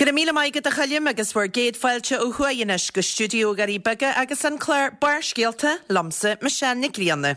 Go raibh míle maith agat a Choilm agus bhur gcéad fáilte ó thuaidh anois go stiúideo Dhoirí Beaga agus an clár Barrscéalta liomsa Michelle Nic Grianna.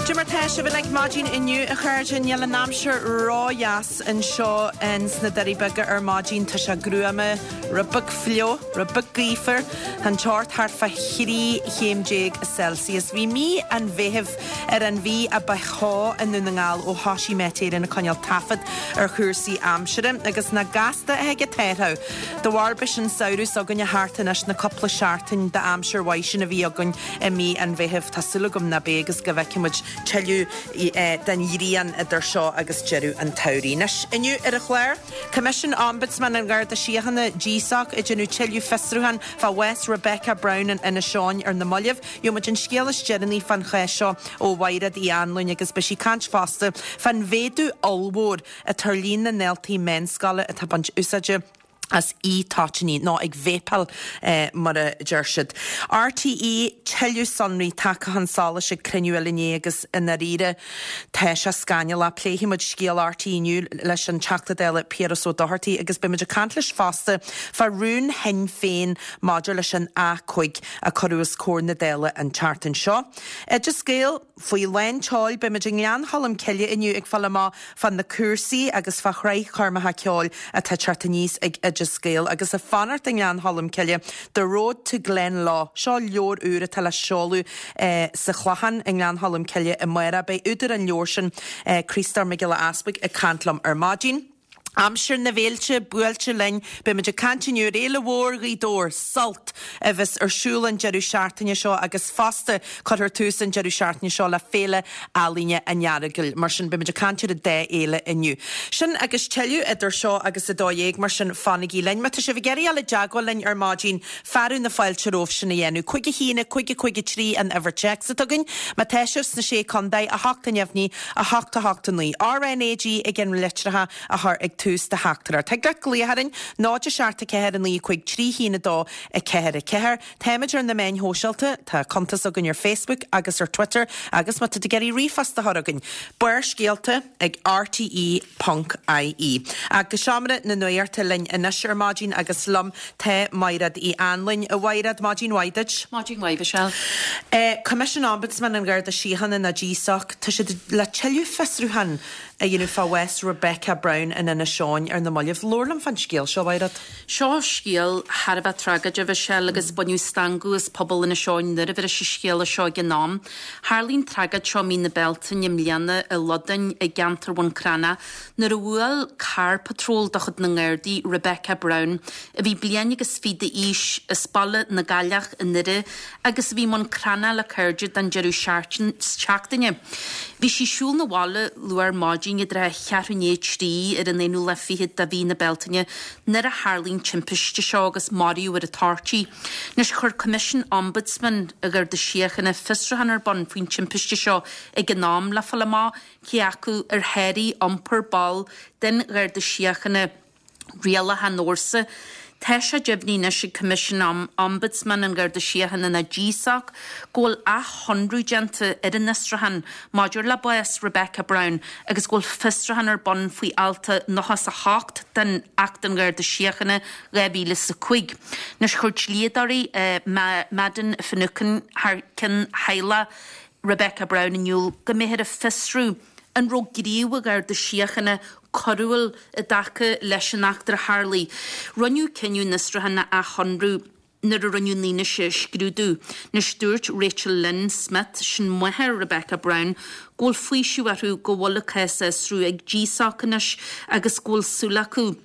Cad é mar tá sibh uilig maidin inniu a chairde? Níl an aimsir ró-dheas anseo ins na Doirí Beaga ar maidin. Tá sé gruama, rud beag fliuch, rud beag gaofar. Tá an teocht thart fá thrí chéim déag Celsius. Bhí mí an Mheithimh ar an mhí a ba theo i nDún na nGall ó thoisigh Met Éireann ag coinneáil taifead ar chúrsaí aimsire agus nach gasta a thig an t-athrú. De bharr b'shin an samhradh s'againne thart anois, na cúpla seachtain d'aimsir mhaith sin a bhí againn i mí an Mheithimh, tá súil agam ná beidh agus go bhfeicfidh muid tuilleadh den ghrian idir seo agus deireadh an tsamhraidh. Anois, inniu ar an chlár, Coimisiún Ombudsman an Gharda Síochána, GSOC, ag déanamh tuilleadh fiosrúchán fá bhás Rebecca Brown in Inis Eoghain ar na mallaibh. Gheobhaidh muid an scéal is deireanaí fán chás seo ó Mhaighread Uí Anluain agus beidh sí ag caint fosta fán mhéadú ollmhór atá ar líon na ndaltaí meánscoile atá ag baint úsáide as e-toitíní, nó ag vapeáil mar a deir siad. RTÉ, tuilleadh sonraí tagtha chun solais ag cruinniú eile inné agus i ndáiríre tá sé scannalach. Pléifidh muid scéal RTÉ inniu leis an Teachta Dála Piaras Ó Dochartaigh agus beidh muid ag caint leis fosta fá rún Shinn Féin maidir leis an A5 a cuireadh os comhair na Dála an tseachtain seo. Oideas Gael faoi lán tseoil, beidh muid i nGleann Cholm Cille inniu ag fáil amach fá na cúrsaí agus fá shraith choirmeacha ceoil atá ag teacht aníos ag Oideas Gael. Agus ag fanacht i nGleann Cholm Cille, The Road to Glenlough, seo leabhar úr atá le seoladh sa Chlochán i nGleann Cholm Cille amárach. Beidh údar an leabhair sin, Críostóir Mac Giolla Easpaig, ag caint liom ar maidin. Aimsir na bhféilte buailte linn. Beidh muid ag caint inniu ar Fhéile Mhór Ghaoth Dobhair, Sult, a bheas ar siúl an deireadh seachtaine seo agus fosta cuirfear tús an deireadh seachtaine seo le Féile Ealaíne an Earagail. Mar sin beidh muid ag caint ar an dá fhéile inniu. Sin agus tuilleadh idir seo agus 12 mar sin fanaigí linn. Má tá sibh ag iarraidh dul i dteagmháil linn ar maidin, Fearadh na fáilte romhaibh sin a dhéanamh. 5 1 5 5 3 an uimhir téacs atá againn. Má tá sibh sna Sé Contae, 8 neamhní, 8 8 9. RnaG i gceann litreacha a chur ag tús do theachtaireacht. Thig leat glaoch orainn, 0 7 4 9 5 3 1 2 4 4. Táimid ar na meáin shóisialta, tá cuntas againn ar Facebook agus ar Twitter agus má tá tú ag iarraidh ríomhphost a chur chugainn, Barrscéalta ag rte ponc ie. Ach go seomra na nuachta linn anois ar maidin agus liom tá Maighread Uí Anluain. A Mhaighread, maidin mhaith duit. Maidin mhaith, Michelle. Coimisiún Ombudsman an Gharda Síochána nó GSOC, tá siad le tuilleadh fiosrúchán a dhéanamh fá bhás Rebecca Brown in Inis Eoghain ar na mallaibh. Labhair liom fán scéal seo, a Mhaighread. Seo scéal thar a bheith tragóideach, a Mhichelle, agus baineadh stangadh as pobal Inis Eoghain nuair a fuarthas an scéala seo ag an am. Tharlaigh an tragóid seo mí na Bealtaine i mbliana i Lodainn i gceantar Bhun Cranncha nuair a bhuail carr patróil de chuid na nGardaí Rebecca Brown, a bhí bliain agus fiche d'aois, as Baile na gCailleach i nDoire agus a bhí i mBun Cranncha le cairde don deireadh seachtaine. Bhí sí ag siúl 'na bhaile luath ar maidin i dtrátha cheathrú i ndiaidh a trí ar an aonú lá fichead de mhí na Bealtaine nuair a tharlaigh an timpiste seo agus maraíodh ar an toirt í. Anois, chuir Coimisiún Ombudsman an Gharda Síochána fiosrúchán ar bun faoin timpiste seo ag an am le fáil amach cé acu ar sháraigh iompar ball den Gharda Síochána rialacha an fhórsa. Tá sé deimhnithe anois ag Coimisiún Ombudsman an Gharda Síochána nó GSOC go bhfuil athshonrú déanta ar an fhiosrúchán maidir le bás Rebecca Brown agus go bhfuil fiosrúchán ar bun faoi alt 98 den Acht an Gharda Síochána 2005. Anois chuir dlíodóirí Madden Finucane thar cionn theaghlach Rebecca Brown in iúl go mbeifear ag fiosrú an raibh gníomh an Gharda Síochána coiriúil i dtaca leis an eachtra a tharlaigh. Rinneadh cinneadh an fhiosrúcháin a athshonrú nuair a rinneadh an fhianaise a scrúdú. Anois dúirt Rachel Lynn Smith, sin máthair Rebecca Brown, go bhfuil faoiseamh orthu go bhfuil a cás á fhiosrú ag GSOC anois agus go bhfuil súil acu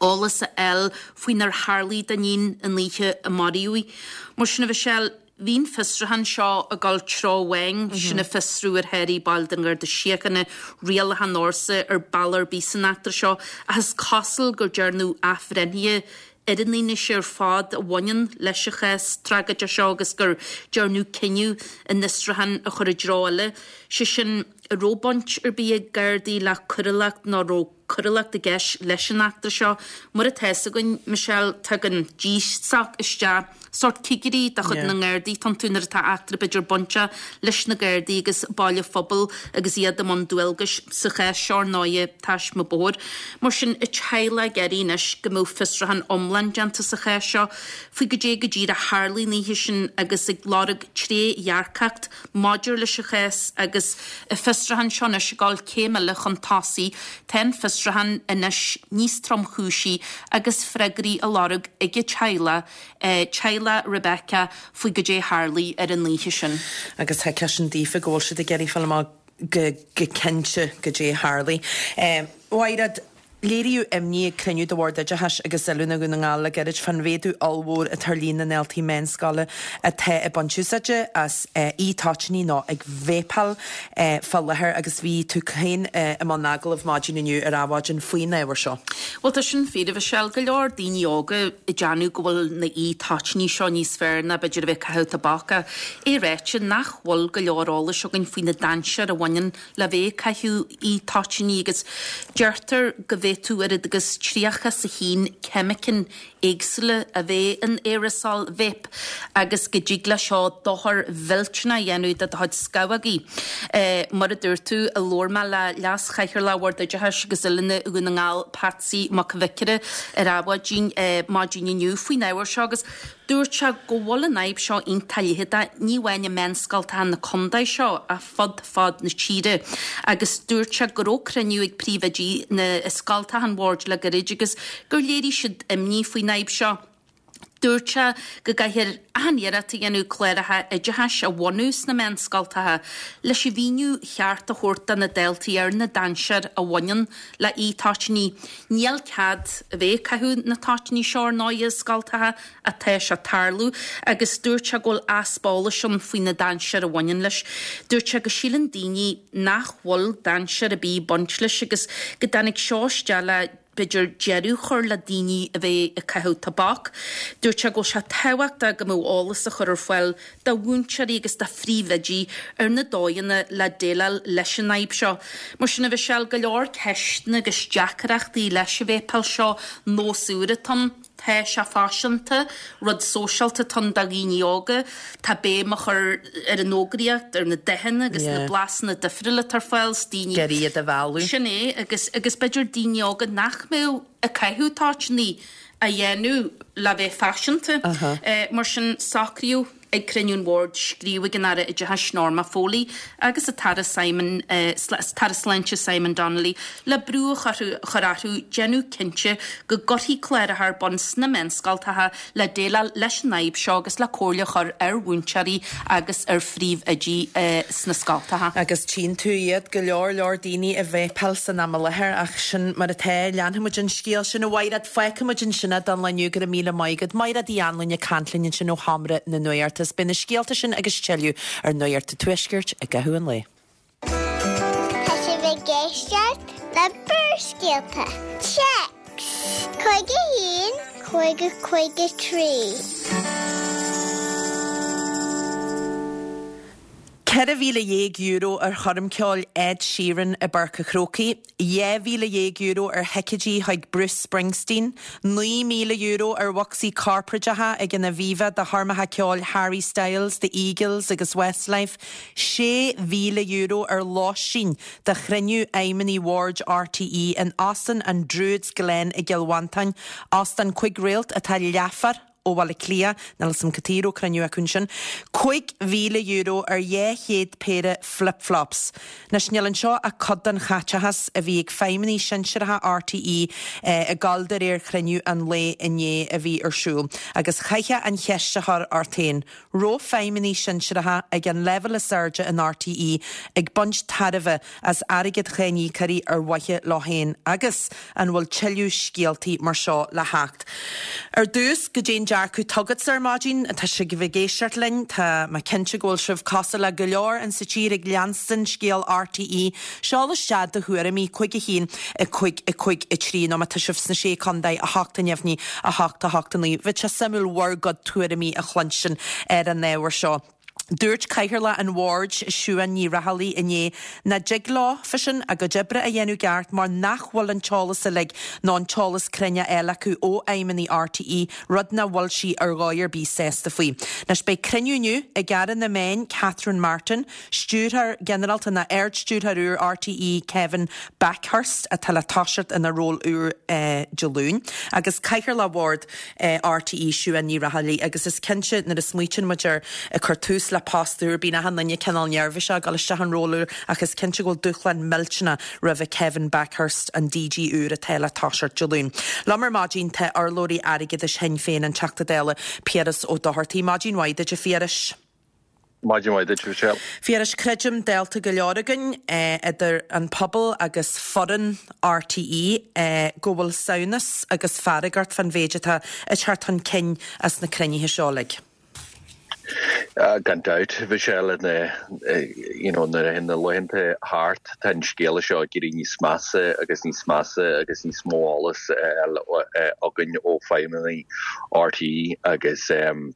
eolas a fháil faoinar tharlaigh dá n-iníon an oíche a maraíodh í. Mar sin, a Mhichelle, bhí an fiosrúchán seo ag dul treo amháin, sin ag fiosrú ar sháraigh baill den Gharda Síochána rialacha an fhórsa ar bealach ar bith san eachtra seo, ach is cosúil gur dearnadh athbhreithnithe. ar an fhianaise ar fad a bhaineann leis an chás tragóideach seo agus gur dearnadh cinneadh an fhiosrúchán a chur i dtreo eile, sé sin, an raibh baint ar bith ag Gardaí le coiriúlacht nó an raibh coiriúlacht i gceist leis an eachtra seo. Mar atá fhios againn, Michelle, tagann DSOC isteach, sórt cigirí de chuid na nGardaí atá iontu nuair atá eachtra b'fhéidir bainteach leis na Gardaí agus baill an phobail agus iad i mbun dualgais sa chás seo ar ndóighe taisme bóthair. Mar sin, an teaghlach ag iarraidh anois go mbeadh fiosrúchán iomlán déanta sa chás seo faoi goidé go díreach a tharlaigh an oíche sin agus ag lorg trédhearcacht Maidir leis an chás agus an fiosrúchán seo anois ag dul céim eile chun tosaigh, tá an fiosrúchán anois níos tromchúisí agus freagraí á lorg ag an teaghlach, teaghlach Rebecca, faoi goidé a tharlaigh ar an oíche sin. Agus thuigfeá sin daofa go bhfuil siad ag iarraidh fáil amach go cinnte goidé a tharlaigh. Mhaighread. Léiríodh imní ag cruinniú de Bhord Oideachais agus Oiliúna Dhún na nGall le gairid fán mhéadú ollmhór atá ar líon na ndaltaí meánscoile atá ag baint úsáide as e-toitíní nó ag véipeáil fá láthair agus bhí tú féin i mbun agallaimh maidin inniu ar Adhmhaidin faoin ábhar seo. Bhuel tá sin fíor, a Mhichelle. Go leor daoine óga ag déanamh go bhfuil na e-toitíní seo níos fearr ná b'fhéidir a bheith ag caitheamh tobac ach é ráite nach bhfuil go leor eolais againn faoi na dainséir a bhaineann le bheith ag caitheamh e-toitíní agus deirtear go bhféadfadh oiread agus 31 ceimiceán éagsúla a bheith in aerasól vape agus go dtig leis seo dochar mhillteanach a dhéanamh do do chuid scamhógaí. Mar a dúirt tú, labhair mé le Leas-Chathaoirleach Bhord Oideachais agus Oiliúna Dhún na nGall, Patsy Mac Bhiocáire, ar Adhmhaidin maidin inniu faoin ábhar seo agus dúirt sé go bhfuil an fhadhb seo iontach leitheadach, ní amháin i meánscoltacha na contae seo ach fud fad na tíre agus dúirt sé go raibh cruinniú ag príomhoidí na scoltacha an bhoird le gairid agus gur léirigh siad imní faoin fhadhb seo. Dúirt sé go gcaithfear achan iarracht a dhéanamh cláracha oideachais a bhunú sna meánscoltacha leis an mhíniú cheart a thabhairt do na daltaí ar na dainséir a bhaineann le e-toitíní. Níl cead a bheith ag caitheamh na toitíní seo ar ndóigh i scoltacha ach tá sé ag tarlú agus dúirt sé go bhfuil easpa eolais ann faoi na dainséir a bhaineann leis. Dúirt sé go síleann daoine nach bhfuil dainséar ar bith ag baint leis agus go dtáinig seo isteach le b'fhéidir deireadh a chur le daoine a bheith ag caitheamh tobac. Dúirt sé go bhfuil sé tábhachtach go mbeadh eolas á chur ar fáil do mhúinteoirí agus do phríomhoidí ar na dóigheanna le déileáil leis an fhadhb seo. Mar sin, a Mhichelle, go leor ceisteanna agus deacrachtaí leis an bhféipeáil seo, nós úr atá ann. Tá sé faiseanta, rud sóisialta atá ann do dhaoine óga. Tá béim á chur ar an fhógraíocht, ar na dathanna agus na blasanna difriúla atá ar fáil 's daoine. Ag iarraidh iad a mhealladh. Sin é, agus agus b'fhéidir daoine óga nach mbeadh ag caitheamh toitíní á dhéanamh le bheith faiseanta. Mar sin, socraíodh. Ag cruinniú an Bhoird, scríobh chuig an Aire Oideachais Norma Foley agus an tAire Simon tAire Sláinte Simon Donnelly le brú a chur orthu déanamh cinnte go gcuirfí cláracha ar bun sna meánscoltacha le déileáil leis an fhadhb seo agus le comhairle a chur ar mhúinteoirí agus ar phríomhoidí sna scoltacha. Agus tchíonn tú iad, go leor leor daoine ag véipeáil san am i láthair ach sin mar atá. Leanfaidh muid an scéal sin a Mhaighread. Fágfaidh muid ansin é don lá inniu, go raibh míle maith agat. Maighread Uí Anluain ag caint linn ansin ó Sheomra na Nuachta. Is beidh na scéalta sin agus tuilleadh ar Nuacht an Tuaiscirt i gcaitheamh an lae. Tá sibh ag éisteacht le Barrscéalta. Téacs 51 50 53. €14,000 ar choirmceoil Ed Sheeran i bPáirc an Chrócaigh, €12,000 ar thicéidí chuig Bruce Springsteen, €9,000 ar bhocsaí corparáideacha ag an Aviva do choirmeacha ceoil Harry Styles, The Eagles agus Westlife, €6,000 ar lóistín do chruinniú fheidhmeannaigh bhoird RTÉ in Óstán an Druids Glen i gCill Mhantáin, óstán cuig réalt atá leathuair ó Bhaile Átha Cliath, níl 'fhios a'm cad chuige a raibh cruinniú acu ansin, €5,000 ar 200 péire flip flops. Anois, níl anseo ach cuid den chaiteachas a bhí ag feidhmeannaigh sinsearacha RTÉ ag gabháil de réir chruinniú an lae inné a bhí ar siúl. Agus chaithfeá an cheist a chur ort féin, raibh feidhmeannaigh sinsearacha ag an leibhéal is airde in RTÉ ag baint tairbhe as airgead cháiníocóirí ar mhaithe leo féin agus an bhfuil tuilleadh scéaltaí mar seo le theacht? Ar dtús, goidé an. dearcadh t'agatsa ar maidin? Tá sibh ag éisteacht linn, tá mé cinnte go bhfuil sibh cosúil le go leor in sa tír ag leanstan scéal RTÉ. Seol isteach do thuairimí, 5 1 5 5 3 nó má tá sibh sna Sé Contae, 8 neamhní, 8 8 9. Bheadh sé suimiúil bhur gcuid tuairimí a chluinstin ar an ábhar seo. Dúirt Cathaoirleach an Bhoird, Siún Ní Raghallaigh inné nach dtig leo, fá sin, a gcuid oibre a dhéanamh i gceart mar nach bhfuil an t-eolas uilig nó an t-eolas cruinn á fháil acu ó fheidhmeannaigh RTÉ, rud nach bhfuil sí ar dhóigh ar bith sásta faoi. Anois beidh cruinniú inniu ag Aire na Meán Catherine Martin, Stiúrthóir Ginearálta nó Ard-Stiúrthóir úr RTÉ Kevin Bakhurst atá le toiseacht ina ról úr Dé Luain, agus Cathaoirleach Bhord RTÉ Siún Ní Raghallaigh agus is cinnte nuair a smaoitíonn muid ar ag cur tús le post úr bíonn achan duine cineál neirbhíseach ag dul isteach an ról úr ach is cinnte go bhfuil dúshlán millteanach roimhe Kevin Bakhurst, an DG úr atá le toiseacht Dé Luain. Liom ar maidin tá urlabhraí airgeadais Shinn Féin, an Teachta Dála Piaras Ó Dochartaigh. Maidin mhaith duit a Phiarais. Maidin mhaith duit, Michelle. Phiarais, creidim, dálta go leor againn, idir an pobal agus foireann RTÉ, go bhfuil samhnas agus fearg ort fán mhéid atá ag teacht chun cinn as na cruinnithe seo uilig. Gan dabht, Michelle, you know, nuair a théann na laethanta thart, tá an scéal seo ag éirí níos measa agus níos measa agus níos mó eolas againn ó feidhmeannaigh RTÉ agus an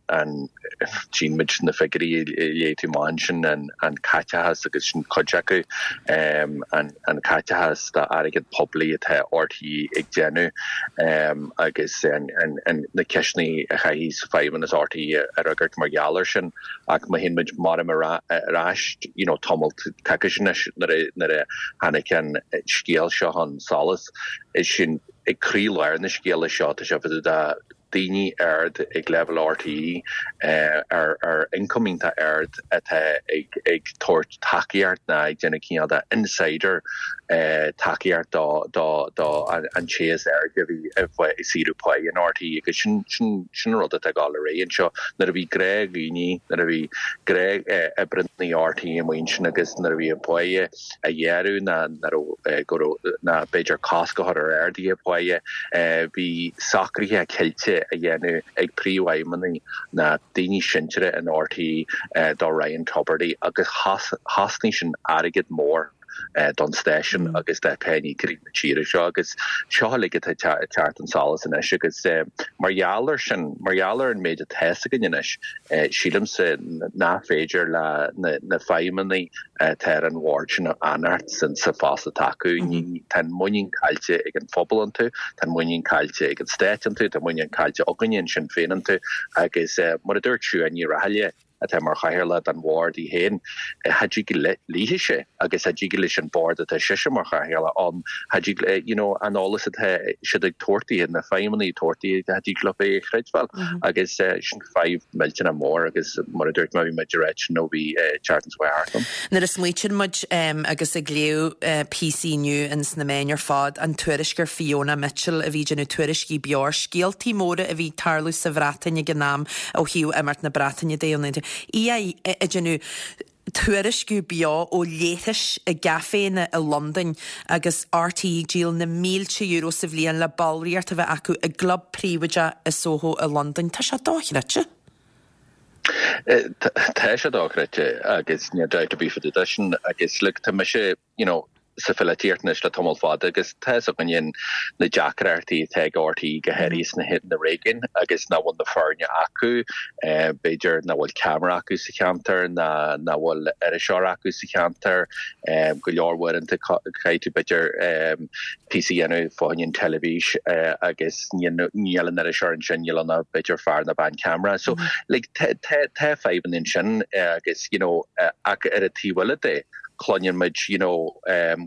Tchíonn muid na figiúirí a léigh tú amach ansin, an caiteachas agus sin cuid acu, an caiteachas d'airgead poiblí atá RTÉ ag déanamh agus na ceisteanna a chaithfidh feidhmeannas RTÉ a fhreagairt mar gheall air sin. Ach má théann muid maram ar ais you know tamalt coicís anois nuair a tháinig an scéal seo chun solais, is sin ag croílár na scéala seo, tá sé fá dtaobh daoine ard ag leibhéal RTÉ ar ar ioncam iontach ard atá ag ag tabhairt tacaíocht ná ag déanamh cineál de insider tacaíocht do do do an té is airde a bhí ag saoradh páí in RTÉ agus sin sin sin an rud atá ag dul ar aghaidh anseo. Nuair a bhí gnáthdhaoine, nuair a bhí gnáthoibrithe RTÉ amuigh ansin agus nuair a bhí a bpáighe a ghearradh ná go raibh ná b'fhéidir cosc a chur ar arduithe páighe. Bhí socruithe cillte á dhéanamh ag príomhfheidhmeannaigh ná daoine sinseartha in RTÉ do Ryan Tubridy agus chosnaigh sin airgead mór don stáisiún agus do pháíníocóirí na tíre seo agus seo uilig atá ag teacht chun solais anois agus mar gheall air sin, mar gheall ar an méid atá fhios againn anois, sílimse nach féidir le na feidhmeannaigh atá ar an bhord sin a fhanacht sa phost atá acu. Tá an muinín caillte ag an phobal iontu, tá an muinín caillte ag an stát iontu, tá muinín caillte againne in Sinn Féin iontu agus mar a dúirt Siún Ní Raghallaigh, atá mar chathaoirleach den bhord í féin, cha dtig léithise agus cha dtig leis an bord atá sise mar chathaoirleach ann, cha dtig you know an eolas atá siad ag tabhairt di, na feidhmeannaigh ag tabhairt di, cha dtig leo é a chreidbheáil agus sin fadhb millteanach mór agus mar a dúirt mé bhí muid ag ráit sin ó bhí Charlton's Way thart ann. Nuair a smaoitíonn muid agus ag léamh píosaí inniu ins na meáin ar fad, an tuairisc ar Fiona Mitchell a bhí ag déanamh tuairiscí beo ar scéaltaí móra a bhí ag tarlú sa Bhreatain ag an am ó thaobh imeacht na Breataine de, í ag déanamh tuairisciú beo ó leithris i gcaiféanna i Londain agus RTÉ ag díol na mílte euro sa bhliain le ballraíocht a bheith acu i gclub príobháideach i Soho i Londain. Tá sé dochreidte. Tá sé dochreidte agus níl dabht ar bith fá dtaobh de sin agus look tá mise you know sa pholaitíocht anois le tamall fada agus tá fhios againne na deacrachtaí atá ag RTÉ go háirithe sna na réigiúin agus nach bhfuil na foirne acu, b'fhéidir nach bhfuil ceamara acu sa cheantar ná nach bhfuil iriseoir acu sa cheantar. Go leor uaireanta caithfidh tú b'fhéidir píosa a dhéanamh fá choinne an teilifís agus níl an iriseoir ansin, níl ann ach b'fhéidir fear nó bean ceamara. So like tá tá fadhbanna ansin agus you know ach ar an taobh eile de, cluineann muid you know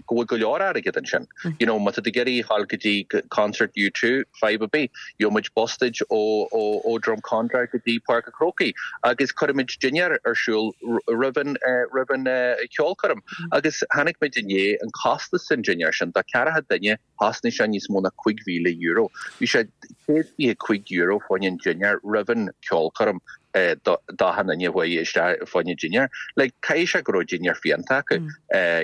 go bhfuil go leor airgead ansin. You know má tá tú ag iarraidh a ghabháil go dtí concert U2, fadhb ar bith, gheobhaidh muid bus duit ó ó ó Drumcondra go dtí Páirc an Chrócaigh agus cuirfidh muid dinnéar ar siúl roimh an roimh an cheolchoirm. Agus chonaic muid inné an costas den dinnéar sin do ceathracha duine, chosnaigh sé níos mó ná €5,000. Bhí sé €125 fá choinne an dinnéar roimh an ceolchoirm. d'achan duine a chuaigh isteach fá choinne dinnéar. Like, caithfidh sé go raibh dinnéar fiánta acu.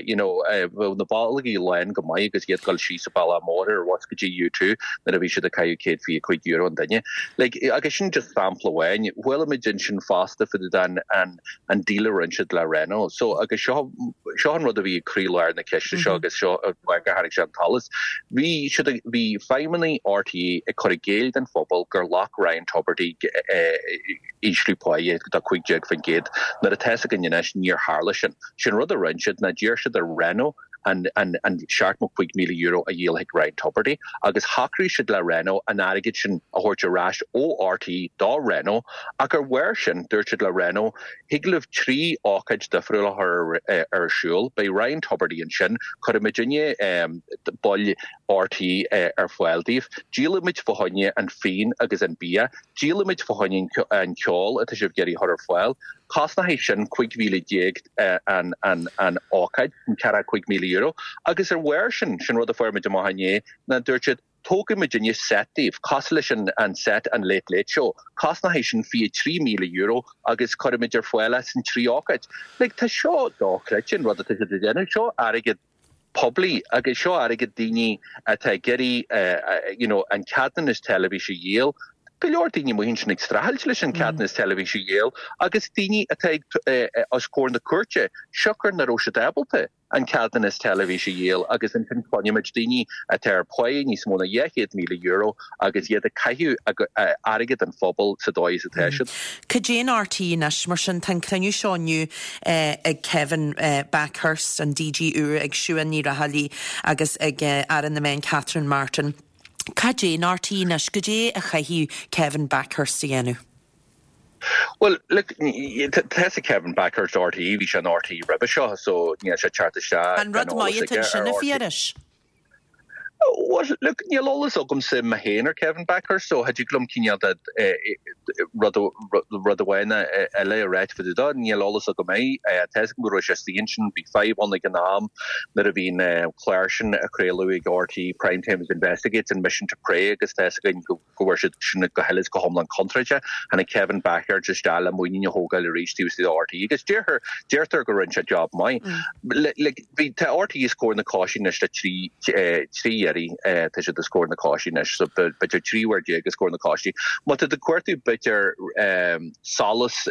You know, bheadh na bolgaí lán go maith agus iad ag dul síos an bealach mór ar bhus go dtí U2 nuair a bhí siad ag caitheamh €125 an duine. Like, agus sin just sampla amháin. Chuala muid ansin fosta fá dtaobh den an an deal a rinne siad le Renault. So, agus seo seo an rud a bhí ag croílár na ceiste seo agus seo an fáth gur tháinig sé chun tsolais. Bhí siad ag, bhí feidhmeannaigh RTÉ ag cur i gcéill don phobal gur ghlac Ryan Tubridy ísliú páighe de 15% nuair atá fhios againn anois níor tharla sin. Sin rud a rinne siad ná d'iarr siad ar Renault an €75,000 a dhíol chuig Ryan Tubridy agus shocraigh siad le Renault an airgead sin a thabhairt ar ais ó RTÉ do Renault ach ar bharr sin dúirt siad le Renault thig libh 3 ócáid difriúil a chur ar siúl, beidh Ryan Tubridy ansin, cuirfimidinne baill RTÉ ar fáil daoibh, díolfaimid fá choinne an fíon agus an bia, díolfaimid fá choinne an ceol atá sibh ag iarraidh a chur ar fáil. Cosnóidh sin 15,000 an ócáid, sin €45,000. Agus ar bharr sin, sin rud a fuair muid amach inné, ná dúirt siad, tógfaidh muidinne set daoibh, cosúil leis an set an Late Late Show, cosnóidh sin €23,000 agus cuirfimid ar fáil é san trí ócáid. Like, tá seo dochreidte an rud atá siad ag déanamh, seo airgead poiblí agus seo airgead daoine atá ag iarraidh you know an ceadúnas teilifíse a dhíol. Go leor daoine amuigh ansin ag streachailt leis an ceadúnas teilifíse a dhíol agus daoine atá ag os comhair na cúirte siocair nach raibh siad ábalta an ceadúnas teilifíse a dhíol agus ansin cluinimid daoine atá ar pháighe níos mó ná €200,000 agus iad ag caitheamh airgead an phobail sa dóigh is atá siad. Cad é an RTÉ anois, mar sin? Tá an cruinniú seo inniu ag Kevin Bakhurst, an DG úr, ag Siún Ní Raghallaigh agus ag Aire na Meán Catherine Martin. Cad é an RTÉ anois? Cad é a chaithfidh Kevin Bakhurst a dhéanamh? Bhuel, look, tá fhios ag Kevin Bakhurst RTÉ, bhí sé in RTÉ roimhe seo, so níl sé ag teacht isteach An rud gan eolas maith atá aige ansin, ar a RTÉ. Phiarais? Bhuel, look, níl eolas agamsa mé féin ar Kevin Bakhurst, so cha dtig liom cineál de rud rud amháin eile a ráit fá dtaobh dó. Níl eolas agam air. Tá fhios agam go raibh sé istigh ansin, bhí fadhb ann ag an am nuair a bhí an clár sin á chraoladh ag RTÉ, Prime Time Investigates and Mission to Prey agus tá fhios againn go go bhfuair siad sin go huile is go hiomlán contráilte. Tháinig Kevin Bakhurst isteach le muinín a thógáil arís taobh istigh de RTÉ agus deirtear, deirtear go rinne sé job maith. Like, bhí, tá RTÉ os comhair na coise anois le trí, trí iarraidh, tá siad os comhair na coise anois, so b'fhéidir 13 uair os comhair na coise. Má tá tú ag cuartú b'fhéidir solas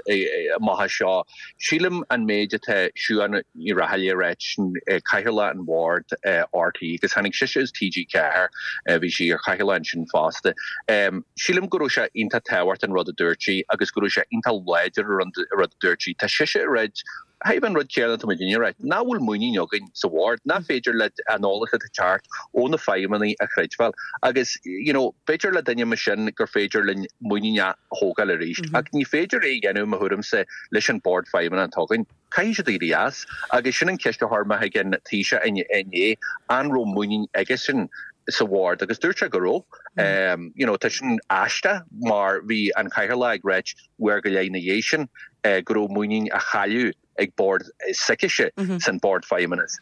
amach as seo, Sílim an méid atá Siún Ní Raghallaigh a ráit, sin Cathaoirleach an Bhoird RTÉ, agus tháinig sise as TG4, bhí sí ar chathaoirleach ansin fosta. Sílim go raibh sé iontach tábhachtach an rud a dúirt sí agus go raibh sé iontach láidir an rud a dúirt sí. Tá sise ag ráit, chomh an rud céanna atá muidinne a ráit, nach bhfuil muinín againn sa bhord, nach féidir le an eolas atá ag teacht ó na feidhmeannaigh a chreidbheáil. Agus, you know, b'fhéidir le duine mar sin gur féidir linn muinín a thógáil arís. Ach ní féidir é a dhéanamh, i mo thuairimse, leis an Bord Feidhmeannach atá againn. Caithfidh siad éirí as. Agus sin an ceist a chuir mé chuig an Taoiseach inné, an raibh muinín aigesean sa Bhord? Agus dúirt sé go raibh. You know, tá sin aisteach mar bhí an Cathaoirleach ag ráit uair go leith ina dhiaidh sin go raibh muinín á chailleadh ag bord s'aicise san Bord Feidhmeannais.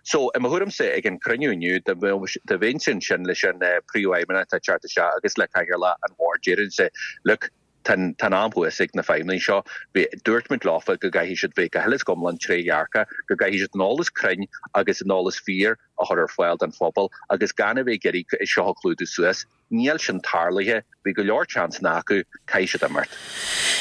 So, i mo thuairimse, ag an cruinniú inniu, dá mbeinnse ansin leis an Príomhfheidhmeannach atá ag teacht isteach agus le Cathaoirleach an Bhoird, déarfainnse, look, tá an am thuas ag na feidhmeannaigh seo, dúirt muid leofa go gcaithfidh siad bheith go huile is go hiomlán trédhearcach, go gcaithfidh siad an eolas cruinn agus an eolas fíor a chur ar fáil don phobal agus gan a bheith ag iarraidh seo a chlúdú suas. Níl sin tarlaithe, bhí go leor seansanna acu, caithfidh siad imeacht.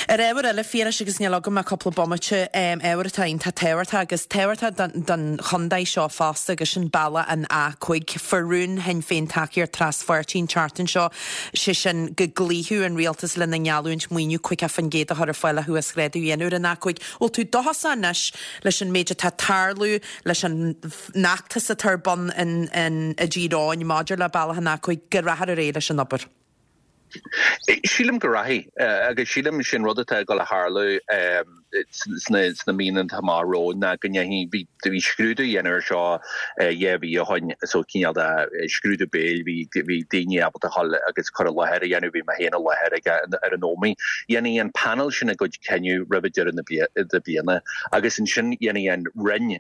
Ar ábhar eile, a Phiarais, agus níl agam ach cúpla bomaite, ábhar atá iontach tábhachtach agus tábhachtach don chontae seo fosta agus sin bealach an A5. Fuair rún Shinn Féin tacaíocht traspháirtí an tseachtain seo, sé sin go gcloífeadh an rialtas lena ngeallúint maoiniú 50% a chur ar fáil le huasghrádú a dhéanamh ar an A5. Bhfuil tú dóchasach anois leis an méid atá ag tarlú leis an fheachtas atá ar bun i dTír Eoghain maidir le bealach an A5, go rachfar ar aghaidh leis an obair. Sílim go rachaidh, agus sílim sin rud atá ag dul a tharlú sna míonna atá amach romhainn ná go ndéanfaidh, bhí scrúdú á dhéanamh air seo 2 mhí ó shoin, so cineál de scrúdú béil, bhí bhí daoine ábalta dhul agus cur i láthair a dhéanamh, bhí mé féin i láthair ag ar an Ómaigh. Dhéanfaidh an panel sin a gcuid cinneadh roimh deireadh na bliana agus ansin dhéanfaidh an Roinn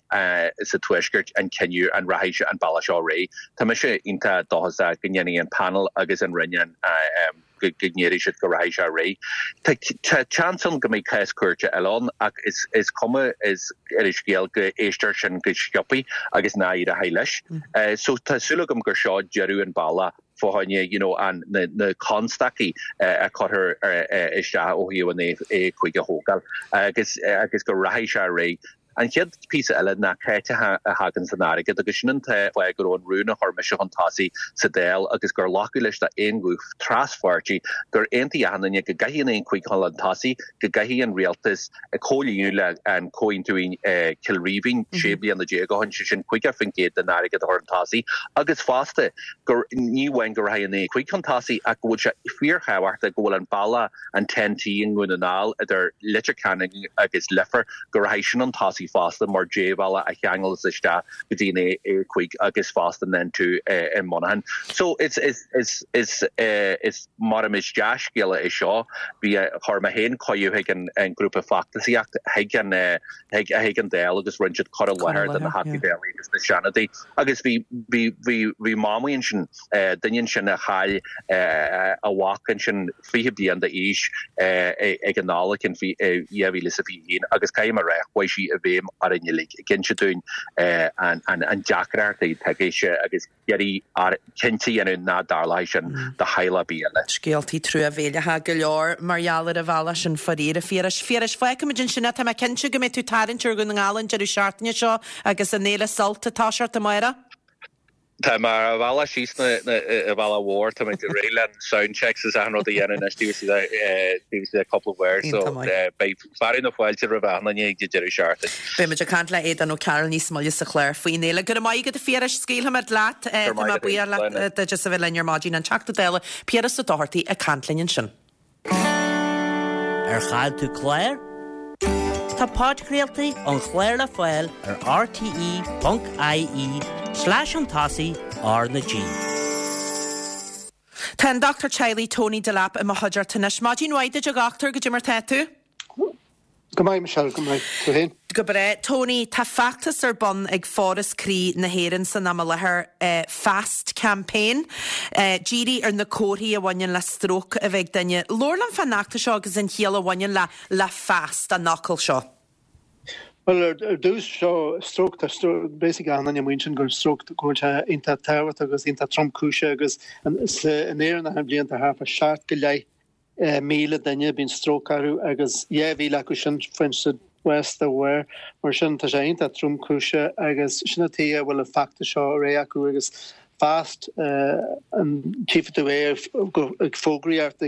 sa Tuaisceart an cinneadh an rachaidh an bealach seo ar aghaidh. Tá mise iontach dóchasach go ndéanfaidh an panel agus an Roinn an. go ndéarfaidh siad go rachaidh sé ar aghaidh. Tá seans ann go mbeidh cás cúirte eile ann ach is cuma is ar an scéal go éistear sin go sciobthaí agus nach éireoidh leis. So tá súil agam gur seo deireadh an bealach fá choinne you know an na constaicí a cuirtear isteach ó thaobh an A5 a thógáil agus agus go rachaidh sé ar aghaidh. An chéad phíosa eile ná cá háit a thagann an airgead agus sin an fáth go raibh an rún a chuir mise chun tosaigh sa Dáil agus gur glacadh leis d'aon ghuth traspháirtí gur aontaigh achan duine go gcaithfidh an A5 dhul chun tosaigh, go gcaithfidh an rialtas comhlíonadh le an Comhaontú Chill Rímhinn 16 bliana ó shin, sé sin 50% den airgead a chur chun tosaigh agus fosta gur ní amháin go rachaidh an A5 chun tosaigh ach go bhfuil sé fíorthábhachtach go bhfuil an bealach an TEN-T i nDún na nGall idir Leitir Ceanainn agus Leifear, go rachaidh sin chun tosaigh fosta mar débhealach a cheanglas isteach go dtí an A5 agus fosta an N2 i Monaghan. So is is is is is mar is dea-scéala é seo. Bhí chuir mé féin cuireadh chuig an an grúpa feachtasaíocht chuig an chuig chuig an Dáil agus rinne siad cur i láthair do na Theachtaí Dála agus na Seanadóirí agus bhí bhí bhí bhí mamaí ansin duine ansin a chaill a mhac ansin 20 bliain d'aois ag an Nollaig in 2021 agus caithfidh mé a rá, chuaigh sí i bhfeidhm orainn uilig, ag inse dúinn an deacracht atá aici agus iarraidh cinnte a dhéanamh nach dtarlóidh sin do theaghlach ar bith eile. Scéaltaí truamhéileacha go leor mar gheall ar an bhealach sin faraor, a Phiarais. Phiarais, fágfaimid ansin é. Tá mé cinnte go mbeidh tú ag tarraingt ar Dhún na nGall an deireadh seachtaine seo agus an Fhéile Sult ag toiseacht amárach. Tá mé ar an bhealach síos an bhealach mhór, tá muid réidh le sound checks is achan rud a dhéanamh anois taobh istigh de cúpla uair so beidh fearadh na fáilte roimh achan duine ag an deireadh seachtaine. Beidh muid ag caint le Aodán Ó Cearúil níos moille sa chlár faoin fhéile. Go raibh maith agat a Phiarais, scaoilfimid leat. Tá mé buíoch leat duit as a bheith linn ar maidin. An Teachta Dála Piaras Ó Dochartaigh ag caint linn ansin. Ar chaill tú clár? Tá podchraoltaí an chláir le fáil ar rte.ie slash chun tosaigh R na G. Tá an Dochtúir Teaghlaigh Tony Delap i mo chuideachta anois. Maidin mhaith duit a dhochtúir, goidé mar tá tú? Go maith, Michelle, go maith. Tú féin? Go breá. Tony, tá feachtas ar bun ag Foras Croí na hÉireann san am i láthair, Fast Campaign, dírithe ar na comharthaí a bhaineann le stróc a bheith ag duine. Labhair liom fán fheachtas seo agus an chiall a bhaineann le le fast, an fhocal seo. Bhuel, ar dtús, seo stróc, tá basically achan duine amuigh ansin gur stróc go bhfuil sé iontach tábhachtach agus iontach tromchúiseach agus in Éirinn achan bhliain tá thart fá seacht go leith 1,000 duine, bíonn stróc orthu agus 2,000 acu sin faigheann siad bás dá bharr. Mar sin, tá sé iontach tromchúiseach agus sin an tuige a bhfuil an feachtas seo ar aghaidh acu agus fast an tchífidh tú é ag fógraíocht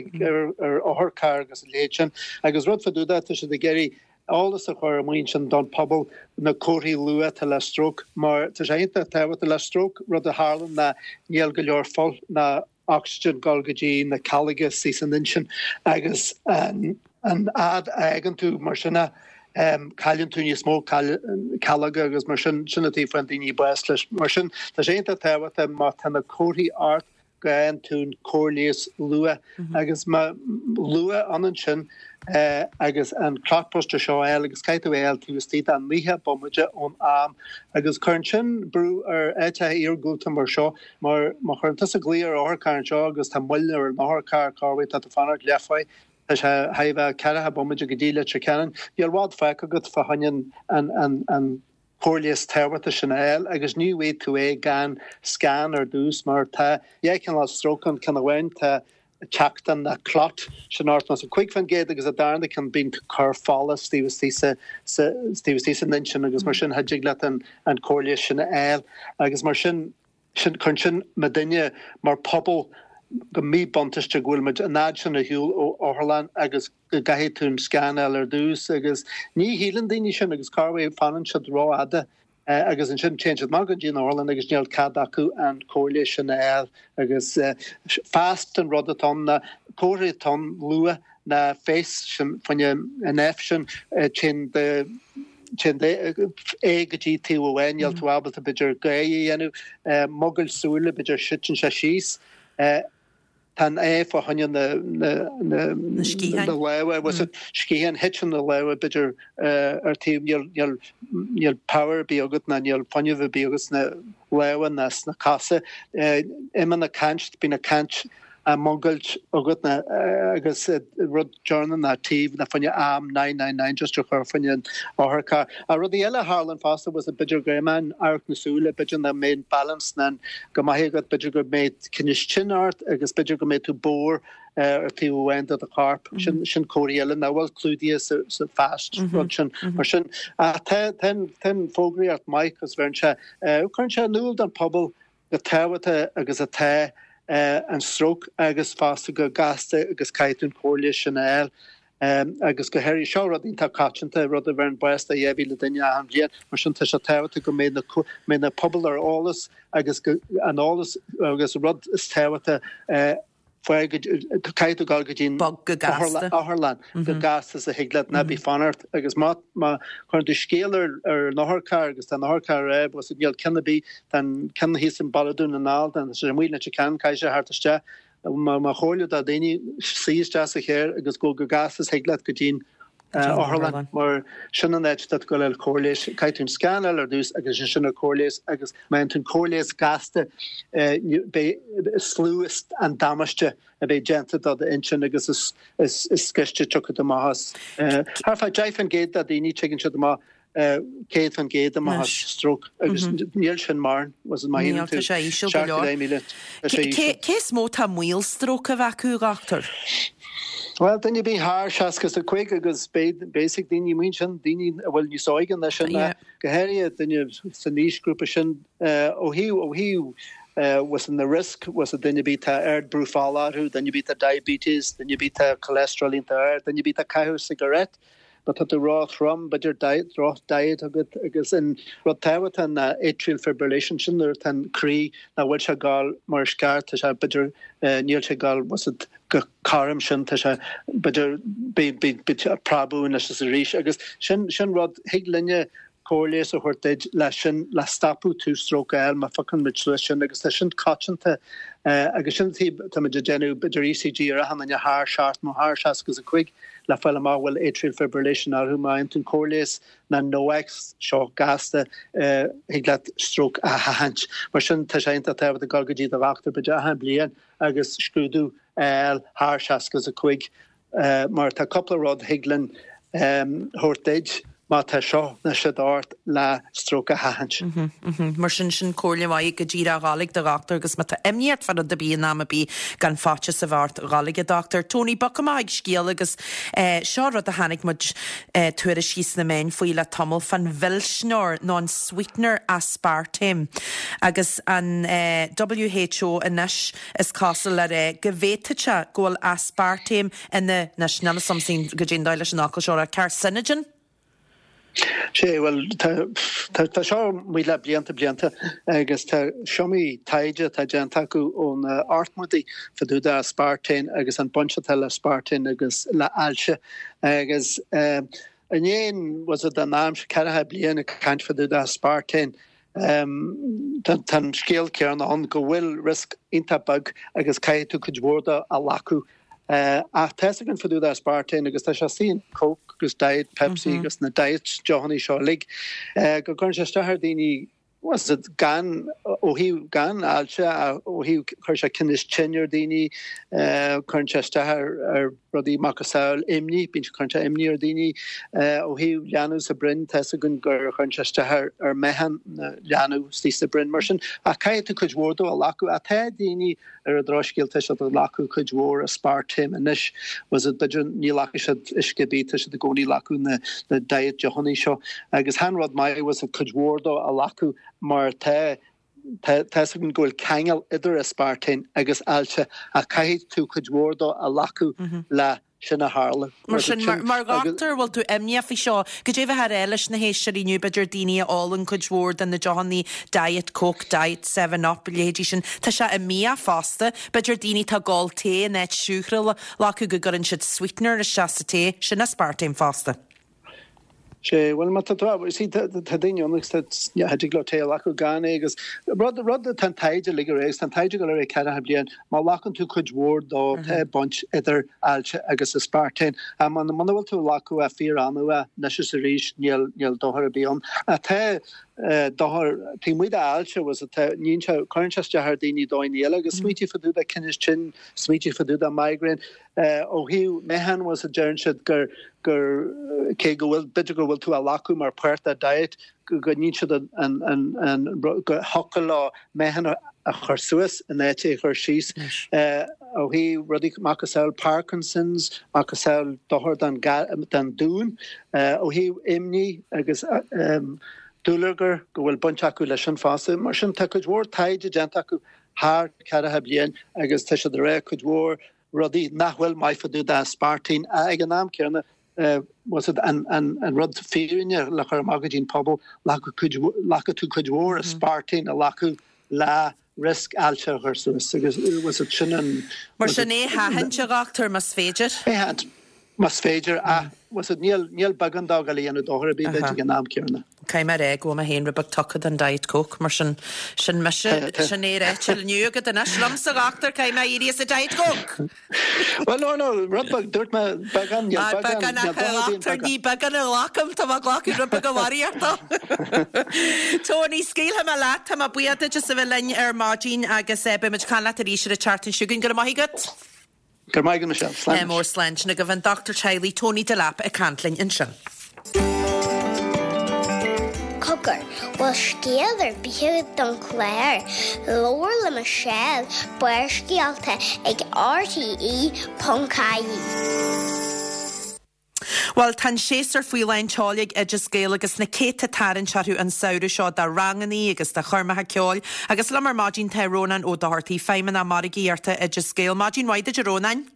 ar otharchairr agus a leithéid sin. Agus rud fá dtaobh de, tá siad ag iarraidh eolas a chur amuigh ansin don phobal na comharthaí luath atá le stróc mar tá sé iontach tábhachtach le stróc, rud a tharlann ná níl go leor fuil ná ocsaigin ag dul go dtí na cealga istigh san intinn agus an fhad a fhágann tú mar sin é, cailleann tú níos mó cealga agus mar sin, sin an tuige a bhfaigheann daoine bás leis. Mar sin, tá sé iontach tábhachtach má tá na comharthaí ort go bhfaigheann tú an cóir leighis luath agus má luath ionann sin agus an clotbuster seo a fháil agus caithfidh tú é a fháil taobh istigh de 90 bomaite ón am agus cuireann sin brú ar áiteacha iargúlta mar seo Mar má chuireann tusa glaoch ar otharcharr anseo agus tá moill ar an otharcharr, corruair tá tú fanacht leathuair, tá sé chóir a bheith ceathracha bomaite go dtí Leitir Ceanainn, níl i bhfad fágtha agat fá choinne an an cóir leighis tábhachtach sin a fháil agus ní bhfaighidh tú é gan scan ar dtús mar tá dhá chineál stróc ann, ceann amháin tá teachtán ná clot, sin 85% agus an darna ceann bíonn cor fola taobh istigh sa taobh istigh san intinn agus mar sin cha dtig leat an an cóir leighis sin a fháil agus mar sin sin cuireann sin muidinne mar pobal go míbhuntáiste go bhfuil muid an fhad sin ar shiúl ó otharlann agus go gcaithfidh tú an scan a fháil ar dtús agus ní shíleann daoine sin agus corruair fanann siad rófhada agus ansin téann siad amach go dtí an otharlann agus níl cead acu an cóir leighis sin a fháil agus fast an rud atá ann ná comharthaí atá ann luath ná face sin fá choinne an F sin téann do téann d'aghaidh go dtí taobh amháin níl tú ábalta b'fhéidir gáire a dhéanamh mogaill súile b'fhéidir titeann sé síos. Tá an A fá choinne na lámha, was it sciatháin, thiteann na lámha b'fhéidir ar taobh, níl níl power ar bith agat ná níl fuinneamh ar bith agat sna lámha ná sna cosa. Imíonn an caint, bíonn an caint. á mhungailt agat ná agus rud deireanach ná taobh ná fá choinne am 999 just a chur fá choinne an otharcharr. Ach rudaí eile a tharlaíonn fosta was b'fhéidir go mbeidh an amharc na súile, b'fhéidir nach mbeidh an balance ná go maith agat, b'fhéidir go mbeidh tinneas tinn ort agus b'fhéidir go mbeidh tú bodhar ar taobh amháin de do chorp. Sin sin comharthaí eile nach bhfuil clúdaithe sa sa FAST rud sin. Mar sin ach tá tá tá an fógraíocht maith agus bheireann sé cuireann sé in iúl don phobal go tábhachtach agus atá an stróc agus fosta go gasta agus caithfidh tú an chomhairle sin a fháil. Agus go háirithe, seo rud iontach coitianta, rud a bheireann bás do 2,000 duine achan bhliain, mar sin tá sé tábhachtach go mbeidh na, mbeidh na pobail ar eolas agus go, an eolas agus rud is tábhachtaí faigh go, caithfidh tú dul go dtí an Bog go gasta. otharlann go gasta is a thig leat, ná bí ag fanacht agus má, má chuireann tú scéal ar, ar an otharcharr agus tá an otharcharr ar agus níl ceann ar bith, tá an ceann thíos i mBaile Dhún na nGall, tá sé amuigh i Leitir Ceanainn, caithfidh sé theacht isteach. Mo chomhairle do dhaoine, suigh isteach sa charr agus gabh go gasta is thig leat go dtí an otharlann mar sin an áit atá tú ag dul a fháil cóir leighis. Caithfidh tú an scan a fháil ar dtús agus ansin an cóir leighis agus má fhaigheann tú an cóir leighis gasta beidh is lú an damáiste a bheidh déanta do d'intinn agus is is gaiste tiocfaidh tú amach as. Thart fá 10% de dhaoine tigeann siad amach 100% amach as stróc agus níl sin mórán, was it má shíleann tú Níl, tá sé íseal go leor. 7,000, tá sé íseal. Cé is mó atá i mbaol stróc a bheith acu, a dhochtúir? Bhuel, duine ar bith thar 65 agus basic daoine amuigh ansin, daoine a bhfuil níos óige ná sin, go háirithe duine san aoisghrúpa sin, ó thaobh, ó thaobh was na risk, was duine ar bith tá ard brú fola orthu, duine ar bith tá diabetes, duine ar bith tá cholesterol iontach ard, duine ar bith tá caitheamh cigarette, Má tá tú ró-throm, b'fhéidir diet, droch diet agat agus an rud tábhachtach ná atrial fibrillation, sin nuair atá an croí nach bhfuil sé ag gabháil mar is ceart, tá sé b'fhéidir níl sé ag gabháil was it go cothrom sin, tá sé b'fhéidir bíonn sé ag preabadh anois is arís agus sin sin rud thig linne cóir leighis a thabhairt duit le sin, le stopadh tú stróc a fháil má phiocann muid suas sin agus tá sin coitianta agus sin an taobh táimid ag déanamh b'fhéidir ECG ar achan duine thar 70 nó thar 65 le fáil amach bhfuil atrial fibrillation orthu má fhaigheann tú an cóir leighis na NOACs seo gasta thig leat stróc a sheachaint. Mar sin tá sé iontach tábhachtach dul go dtí do dhochtúir b'fhéidir achan bliain agus scrúdú a fháil thar 65. Mar tá cúpla rud thig linn thabhairt duit má tá seo nó siúd ort le stróc a sheachaint. Mar sin, sin comhairle mhaith go díreach dhul ag do dhochtúir agus má tá imní ort fá rud ar bith in am ar bith gan faitíos a bheith ort dhul ag an dochtúir. Tony, bogfaidh amach ag scéal agus seo rud a chonaic muid tuairiscí sna meáin faoi le tamall fán mhilsneoir nó an sweetener aspartame agus an WHO anois Is cosúil le rá go bhféadfadh sé go bhfuil aspartame ina, anois, níl 'fhios a'msa goidé an dóigh leis an fhocal seo a rá, carcinogen? Sea, bhuel, tá, tá, tá seo amuigh le blianta, blianta agus tá is iomaí taighde atá déanta acu ó na hochtmóidí fá dtaobh de aspartame agus an baint atá le aspartame agus le ailse agus eh, i ndiaidh, was it an am seo, ceathracha bliain ag caint fá dtaobh de aspartame Tá an scéal céanna ann go bhfuil riosca iontach beag agus caithfidh tú cuid mhór de a ghlacadh. Ach tá 'fhios againn fá dtaobh de aspartame agus tá sé istigh in Coke agus Diet Pepsi agus na diet deochanna seo uilig go gcuireann sé isteach ar daoine was it gan ó thaobh gan ailse ó thaobh cuireann sé tinneas tinn ar daoine, cuireann sé isteach ar rudaí macasamhail imní, bíonn sé, cuireann sé imní ar dhaoine ó thaobh leanbh sa broinn, tá 'fhios againn gur chuireann sé isteach ar ar meáchan na leanbh istigh sa broinn mar sin, ach caithfidh tú cuid mhór dó a ghlacadh. Ach tá daoine ar an drochscéal, tá siad ag glacadh cuid mhór aspartame anois, was it, b'fhéidir ní ghlacfaidh siad uisce ar bith, tá siad i gcónaí ag glacadh na na diet deochanna seo agus chan rud maith was it cuid mhór dó a ghlacadh mar tá Tá 'fhios againn go bhfuil ceangal idir aspartame agus ailse ach caithfidh tú cuid mhór dó a ghlacadh le sin a tharlú. Mar sin, mar dhochtúir, bhfuil tú imníoch faoi seo? Goidé a bheifeá a rá leis na héisteoirí inniu, b'fhéidir daoine a ólann cuid mhór de na deochanna Diet Coke, Diet 7 Up, a leithéidí sin. Tá sé i mbia fosta. B'fhéidir daoine atá ag ól tae in áit siúcra a ghlacadh go gcuireann siad sweetener isteach sa tae. Sin aspartame fosta. Sea, bhuel, má tá tú, see, tá daoine ann agus tá, yeah, thig leo tae a ghlacadh gan é agus rud, rud atá an taighde uilig ar aghaidh agus tá an taighde ag dul ar aghaidh ceathracha bliain, má ghlacann tú cuid mhór dó, tá baint idir ailse agus aspartame. Ach muna bhfuil tú ag glacadh é fíor-annamh é, anois is arís, níl, níl dochar ar bith ann. Ach tá. Dochar taobh amuigh d'ailse, bhfuil fhios agat, níonn sé, cuireann sé isteach ar daoine dóigheanna eile agus smaoitigh fá dtaobh de tinneas tinn, smaoitigh fá dtaobh de migraine. Ó thaobh meáchan, bhfuil fhios agat, deireann siad gur, gur, cé go bhfuil, b'fhéidir go bhfuil tú á ghlacadh mar páirt de diet, go níonn siad an, an, an, an, go thiocfadh leo meáchan a chur suas in áit é a chur síos. Ó thaobh rudaí macasamhail Parkinson's, macasamhail dochar don, don dún, ó thaobh imní agus dúlagar go bhfuil baint acu leis sin fosta. Mar sin tá cuid mhór taighde déanta acu thar ceathracha bliain agus tá siad ag rá cuid mhór rudaí nach bhfuil maith fá dtaobh d'aspartame ach ag an am céanna bhfuil fhios agat an rud fírinne le chur amach go dtí an pobal, ghlacfadh tú cuid mhór aspartame a ghlacadh le riosca ailse a chur suas agus bhfuil fhios agat sin an. Mar sin é a sheachaint, a dhochtúir, más féidir. É a sheachaint, más féidir, ach bhfuil fhios agat níl, níl beagán dó ag dul a dhéanamh dochar ar bith duit ag an am céanna. Caithfidh mé a rá go bhfuil mé féin rud beag tugtha don Diet Coke, mar sin, sin mise, sin é ráite inniu agat anois liomsa, a dhochtúir, caithfidh mé éirí as an Diet Coke! Bhuel, no, no, rud beag, dúirt mé beagán, níl beagán, beagán, níl beagán, a dhochtúir, ní beagán a ghlacaim, tá mé ag glacadh rud beag a bharraíocht dó. Tony, scaoilfidh mé leat, tá mé buíoch duit as a bheith linn ar maidin agus beidh muid ag caint leat arís ar an tseachtain seo chugainn. Go raibh maith agat. Go raibh maith agat, Michelle. Slán. Mór slán. Sin agaibh an Dochtúir Teaghlaigh Tony Delap ag caint linn ansin. Cogar, bhfuil scéal ar bith agat don chlár? Labhair le Michelle, Barrscéalta ag rte.ie. Bhuel, tá an séasúr faoi lán tseoil ag Oideas Gael agus na céadta tarraingt orthu an samhradh seo do rangannaí agus do choirmeacha ceoil. Agus liom ar maidin tá Rónán Ó Dochartaigh, Feidhmeannach Margaíochta Oideas Gael. Maidin mhaith duit a Rónáin.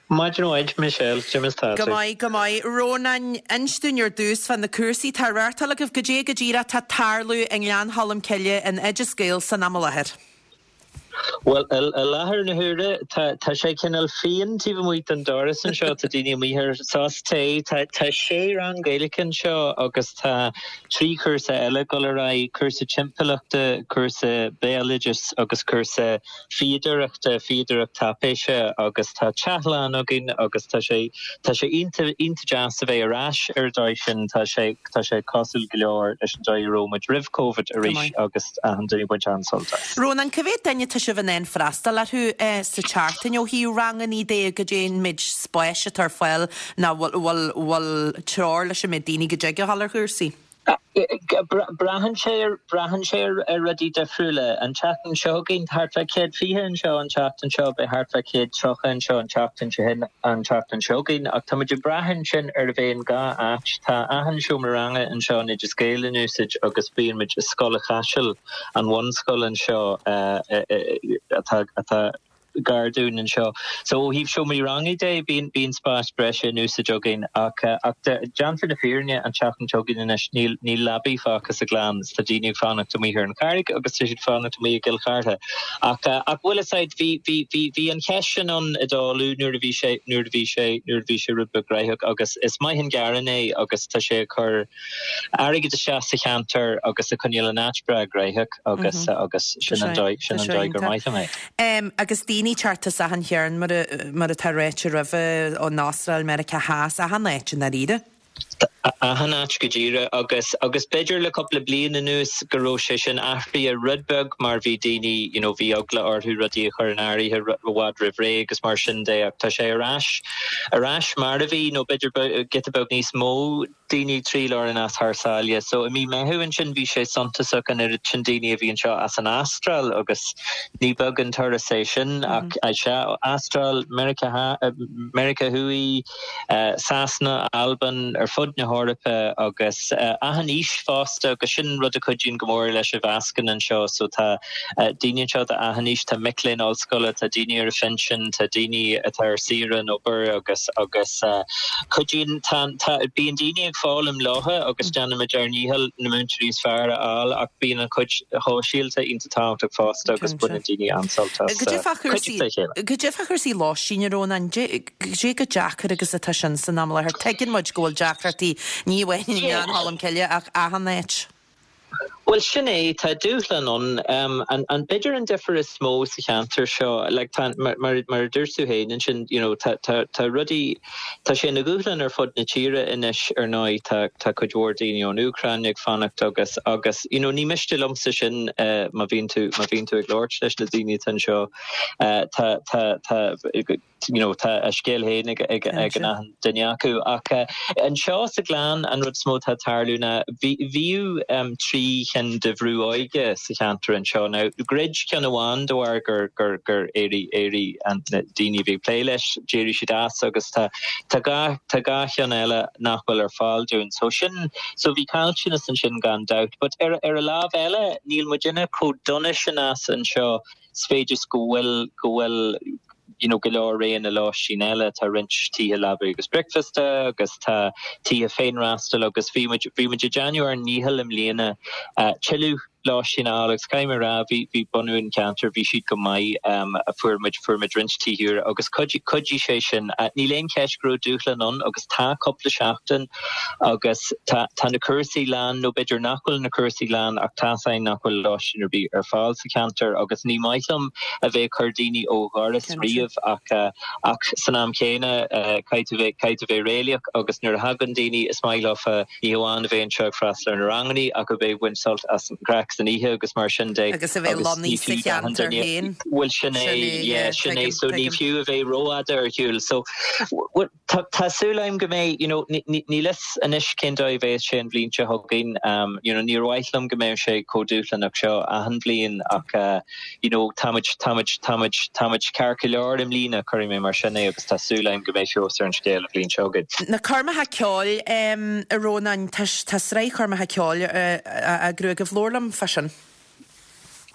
Maidin mhaith, Michelle. Conas tá Go tú? maith, go maith. Rónáin, inis dúinn ar dtús fá na cúrsaí atá á reáchtáil agaibh, goidé go díreach atá ag tarlú i nGleann Cholm Cille in Oideas Gael san am i láthair. Bhuel, i láthair na huaire, tá sé cineál fiáin taobh amuigh den doras anseo, tá daoine amuigh ar sos tae. Tá sé rang Gaeilge anseo agus tá 3 chúrsa eile ag dul ar aghaidh, cúrsa timpeallachta, cúrsa béaloidis agus cúrsa fíodóireachta, fíodóireacht taipéise agus tá teach lán againn agus tá sé, tá sé iontach, iontach deas a bheith ar ais ar an dóigh sin, tá sé, tá sé cosúil go leor leis an dóigh a raibh muid roimh Covid arís agus achan duine ag baint an-sult as. Rónán, cá mhéad duine atá sibh in ann freastal orthu sa tseachtain ó thaobh rangannaí de, goidé an méid spáis atá ar fáil nó bhfuil, bhfuil, bhfuil treoir leis an méid daoine go dtig a dhul ar chúrsaí? Braitheann sé ar, braitheann sé ar rudaí difriúla. An tseachtain seo chugainn, thart fá 120 anseo an tseachtain seo, beidh thart fá 130 anseo an tseachtain seo shin, an tseachtain seo chugainn. Ach tá muid ag brath ansin ar a bheith in dhá áit. Tá achan seomra ranga anseo in Oideas Gael in úsáid agus bíonn muid i Scoil an Chaisil, an bhunscoil anseo atá, atá, gar dúinn anseo. So ó thaobh seomraí ranga de, bíonn, bíonn spás breise in úsáid againn ach, ach déanta na fírinne an tseachtain seo chugainn anois níl, níl leabaí fágtha sa Ghleann is tá daoine ag fanacht amuigh ar an Charraig agus tá siad ag fanacht amuigh i gCill Chartha. Ach, ach bhfuil fhios a'd, bhí, bhí, bhí, bhí an cheist sin ann i dTálu nuair a bhí sé, nuair a bhí sé, nuair a bhí sé rud beag gnaitheach agus is maith an gearán é agus tá sé ag cur airgead isteach sa cheantar agus ag coinneáil an áit breá gnaitheach agus, agus sin an dóigh, sin an dóigh gur maith liom é. Agus daoine ag teacht as achan chearn, mar mar atá ráite roimhe, ón Astráil, Meiriceá Theas, achan áit i ndáiríre. Achan áit go díreach agus agus b'fhéidir le cúpla bliain anuas go raibh sé sin athraithe rud beag mar bhí daoine you know bhí eagla orthu rudaí a chur in áirithe i bhfad roimh ré agus mar sin de ach tá sé ar ais ar ais mar a bhí nó b'fhéidir giota beag níos mó daoine ag triall orainn as thar sáile. So i mí Meitheamh ansin bhí sé suntasach an oiread sin daoine a bhí anseo as an Astráil agus ní beag an turas é sin ach sea, Astráil, Meiriceá, Meiriceá Thuaidh, Sasana, Albain, ar fud na hEorpa agus achan aois fosta agus sin rud a chuidíonn go mór leis an mheascán anseo. So tá daoine anseo d'achan aois, tá mic léinn ollscoile, tá daoine ar a phinsean, tá daoine atá ar saoire ón obair agus agus cuidíonn, tá, tá, bíonn daoine ag foghlaim leotha agus déanaimid ár ndícheall na múinteoirí is fearr a fháil ach bíonn an chuid shóisialta iontach tábhachtach fosta agus baineann daoine an-sult as Goidé fá chúrsaí, cuideachta a chéile. Goidé fá chúrsaí lóistín, a Rónáin, goidé chomh deacair agus atá sin san am i láthair. Tuigeann muid go bhfuil deacrachtaí ní amháin i nGleann Cholm Cille ach achan áit. Bhuel, sin é, tá dúshlán ann. An, an, b'fhéidir an difear is mó sa cheantar seo, like, tá, mar, mar, mar a dúirt tú féin ansin, you know, tá, tá, tá rudaí, tá sé ina dhúshlán ar fud na tíre anois, ar ndóigh, tá, tá cuid mhór daoine ón Úcráin ag fanacht agus, agus, you know, ní miste liomsa sin, má bhíonn tú, má bhíonn tú ag labhairt leis na daoine atá anseo, tá, tá, tá, you know, tá a scéal féin ag ag ag an achan duine acu. Ach anseo sa Ghleann an rud is mó atá ag tarlú ná bhí bhíodh 3 chinn de bhrú óige sa cheantar anseo. Now dhruid ceann amháin de bharr gur gur gur éirigh éirigh an na daoine a bhí ag plé leis, d'éirigh siad as agus tá tá 2 tá 2 cheann eile nach bhfuil ar fáil dúinn. So sin so bhí caillteanas ansin gan dabht. But ar ar a lámh eile níl muidinne chomh dona sin as anseo sa mhéid is go bhfuil go bhfuil you know go leor roghanna lóistín eile, tá roinnt tithe leaba agus bricfeasta agus tá tithe féinfhreastail agus bhí muid bhí muid ag déanamh ár ndícheall i mbliana tuilleadh lóistín a fháil agus caithfidh mé a rá bhí bhí bunú an cheantair bhí siad go maith fuair muid fuair muid roinnt tithe úra agus chuidigh chuidigh sé sin. Níl aon cheist go raibh dúshlán ann agus tá cúpla seachtain Agus tá tá na cúrsaí lán, nó b'fhéidir nach bhfuil na cúrsaí lán ach tá's againn nach bhfuil lóistín ar bith ar fáil sa cheantar agus ní maith liom a bheith ag cur daoine ó dhoras riamh ach ach san am chéanna caithfidh tú bheith caithfidh tú bheith réalaíoch agus nuair a thagann daoine is maith leofa ní hamháin a bheith anseo ag freastal ar na rangannaí ach a bheith ag baint sult as an gcraic san oíche agus mar sin de Agus a bheith agus ní lonnaithe sa fiú d'achan cheantar duine féin. Bhuel sin é Sin é, yeah yeah, sin é tuigim, so ní tuigim. fiú a bheith rófhada ar shiúl so bhuel Tá tá súil agam go mbeidh, you know, níl fhios anois cén dóigh a bheas sé an bhliain seo chugainn, you know, níor mhaith liom go mbeadh sé chomh dúshlánach seo achan bhliain ach you know, táimid, táimid, táimid, táimid ceart go leor i mbliana, cuirfidh mé mar sin é agus tá súil agam go mbeidh feabhas ar an scéal an bhliain seo chugainn. Na coirmeacha ceoil, a Rónáin, tá tá sraith choirmeacha ceoil á eagrú agaibh, labhair liom fá sin.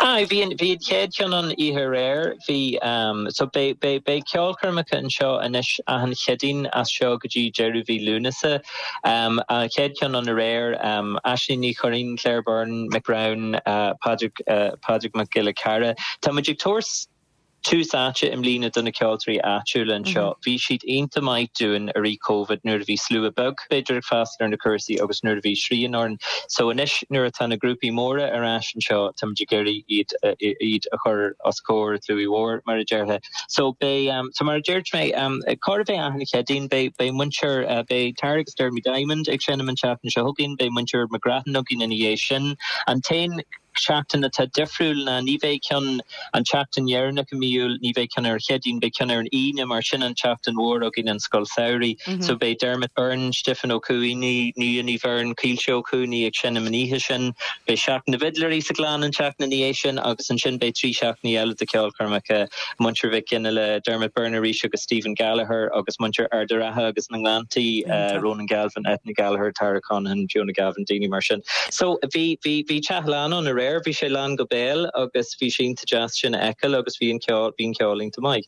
Aye, bhí an, bhí an chéad cheann ann oíche aréir, bhí, so beidh, beidh, beidh ceolchoirmeacha anseo anois achan Chéadaoin as seo go dtí deireadh mhí Lúnasa. An chéad cheann ann aréir, Aisling Ní Churraoin, Claire Byrne, Mick Browne, Pádraig, Pádraig Mac Giolla Chearra. Tá muid ag tabhairt tús áite i mbliana do na ceoltóirí áitiúla anseo. Bhí siad iontach maith dúinn i rith Covid nuair a bhí slua beag b'fhéidir ag freastal ar na cúrsaí agus nuair a bhí srian orainn. So anois nuair atá na grúpaí móra ar ais anseo táimid ag iarraidh iad iad a chur os comhair an tslua mhóir mar a déarfá. So beidh so mar a dúirt mé chóir a bheith achan Chéadaoin beidh beidh muintir beidh Tara agus Dermy Diamond ag seinm an tseachtain seo chugainn, beidh muintir McGrattan againn ina dhiaidh sin. An t-aon seachtain atá difriúil ná ní bheidh ceann an tseachtain dheireanach i mí Iúil, ní bheidh ceann ar an Chéadaoin, beidh ceann ar an Aoine mar sin an tseachtain mhór againn an Scoil Samhraidh. So beidh Dermot Byrne, Stiofán Ó Cuanaigh, Nuala Ní Bheirn, Caoilte Ó Cuanaigh ag seinm an oíche sin. Beidh Seachtain na bhFidléirí sa Ghleann an tseachtain ina dhiaidh sin agus ansin beidh 3 seachtainí eile de cheolchoirmeacha, Muintir Mhic Fhionnghaile, Dermot Byrne arís agus Stephen Gallagher agus muintir Ard an Rátha agus na nGleanntaí, Ronan Galvin, Eithne Gallagher, Tara Conaghan, Fiona Gavin, daoine mar sin. So bhí, bhí, bhí teach lán ann aréir, bhí sé lán go béal agus bhí sé iontach deas sin a fheiceáil agus bhí an ceol, bhí an ceol iontach maith.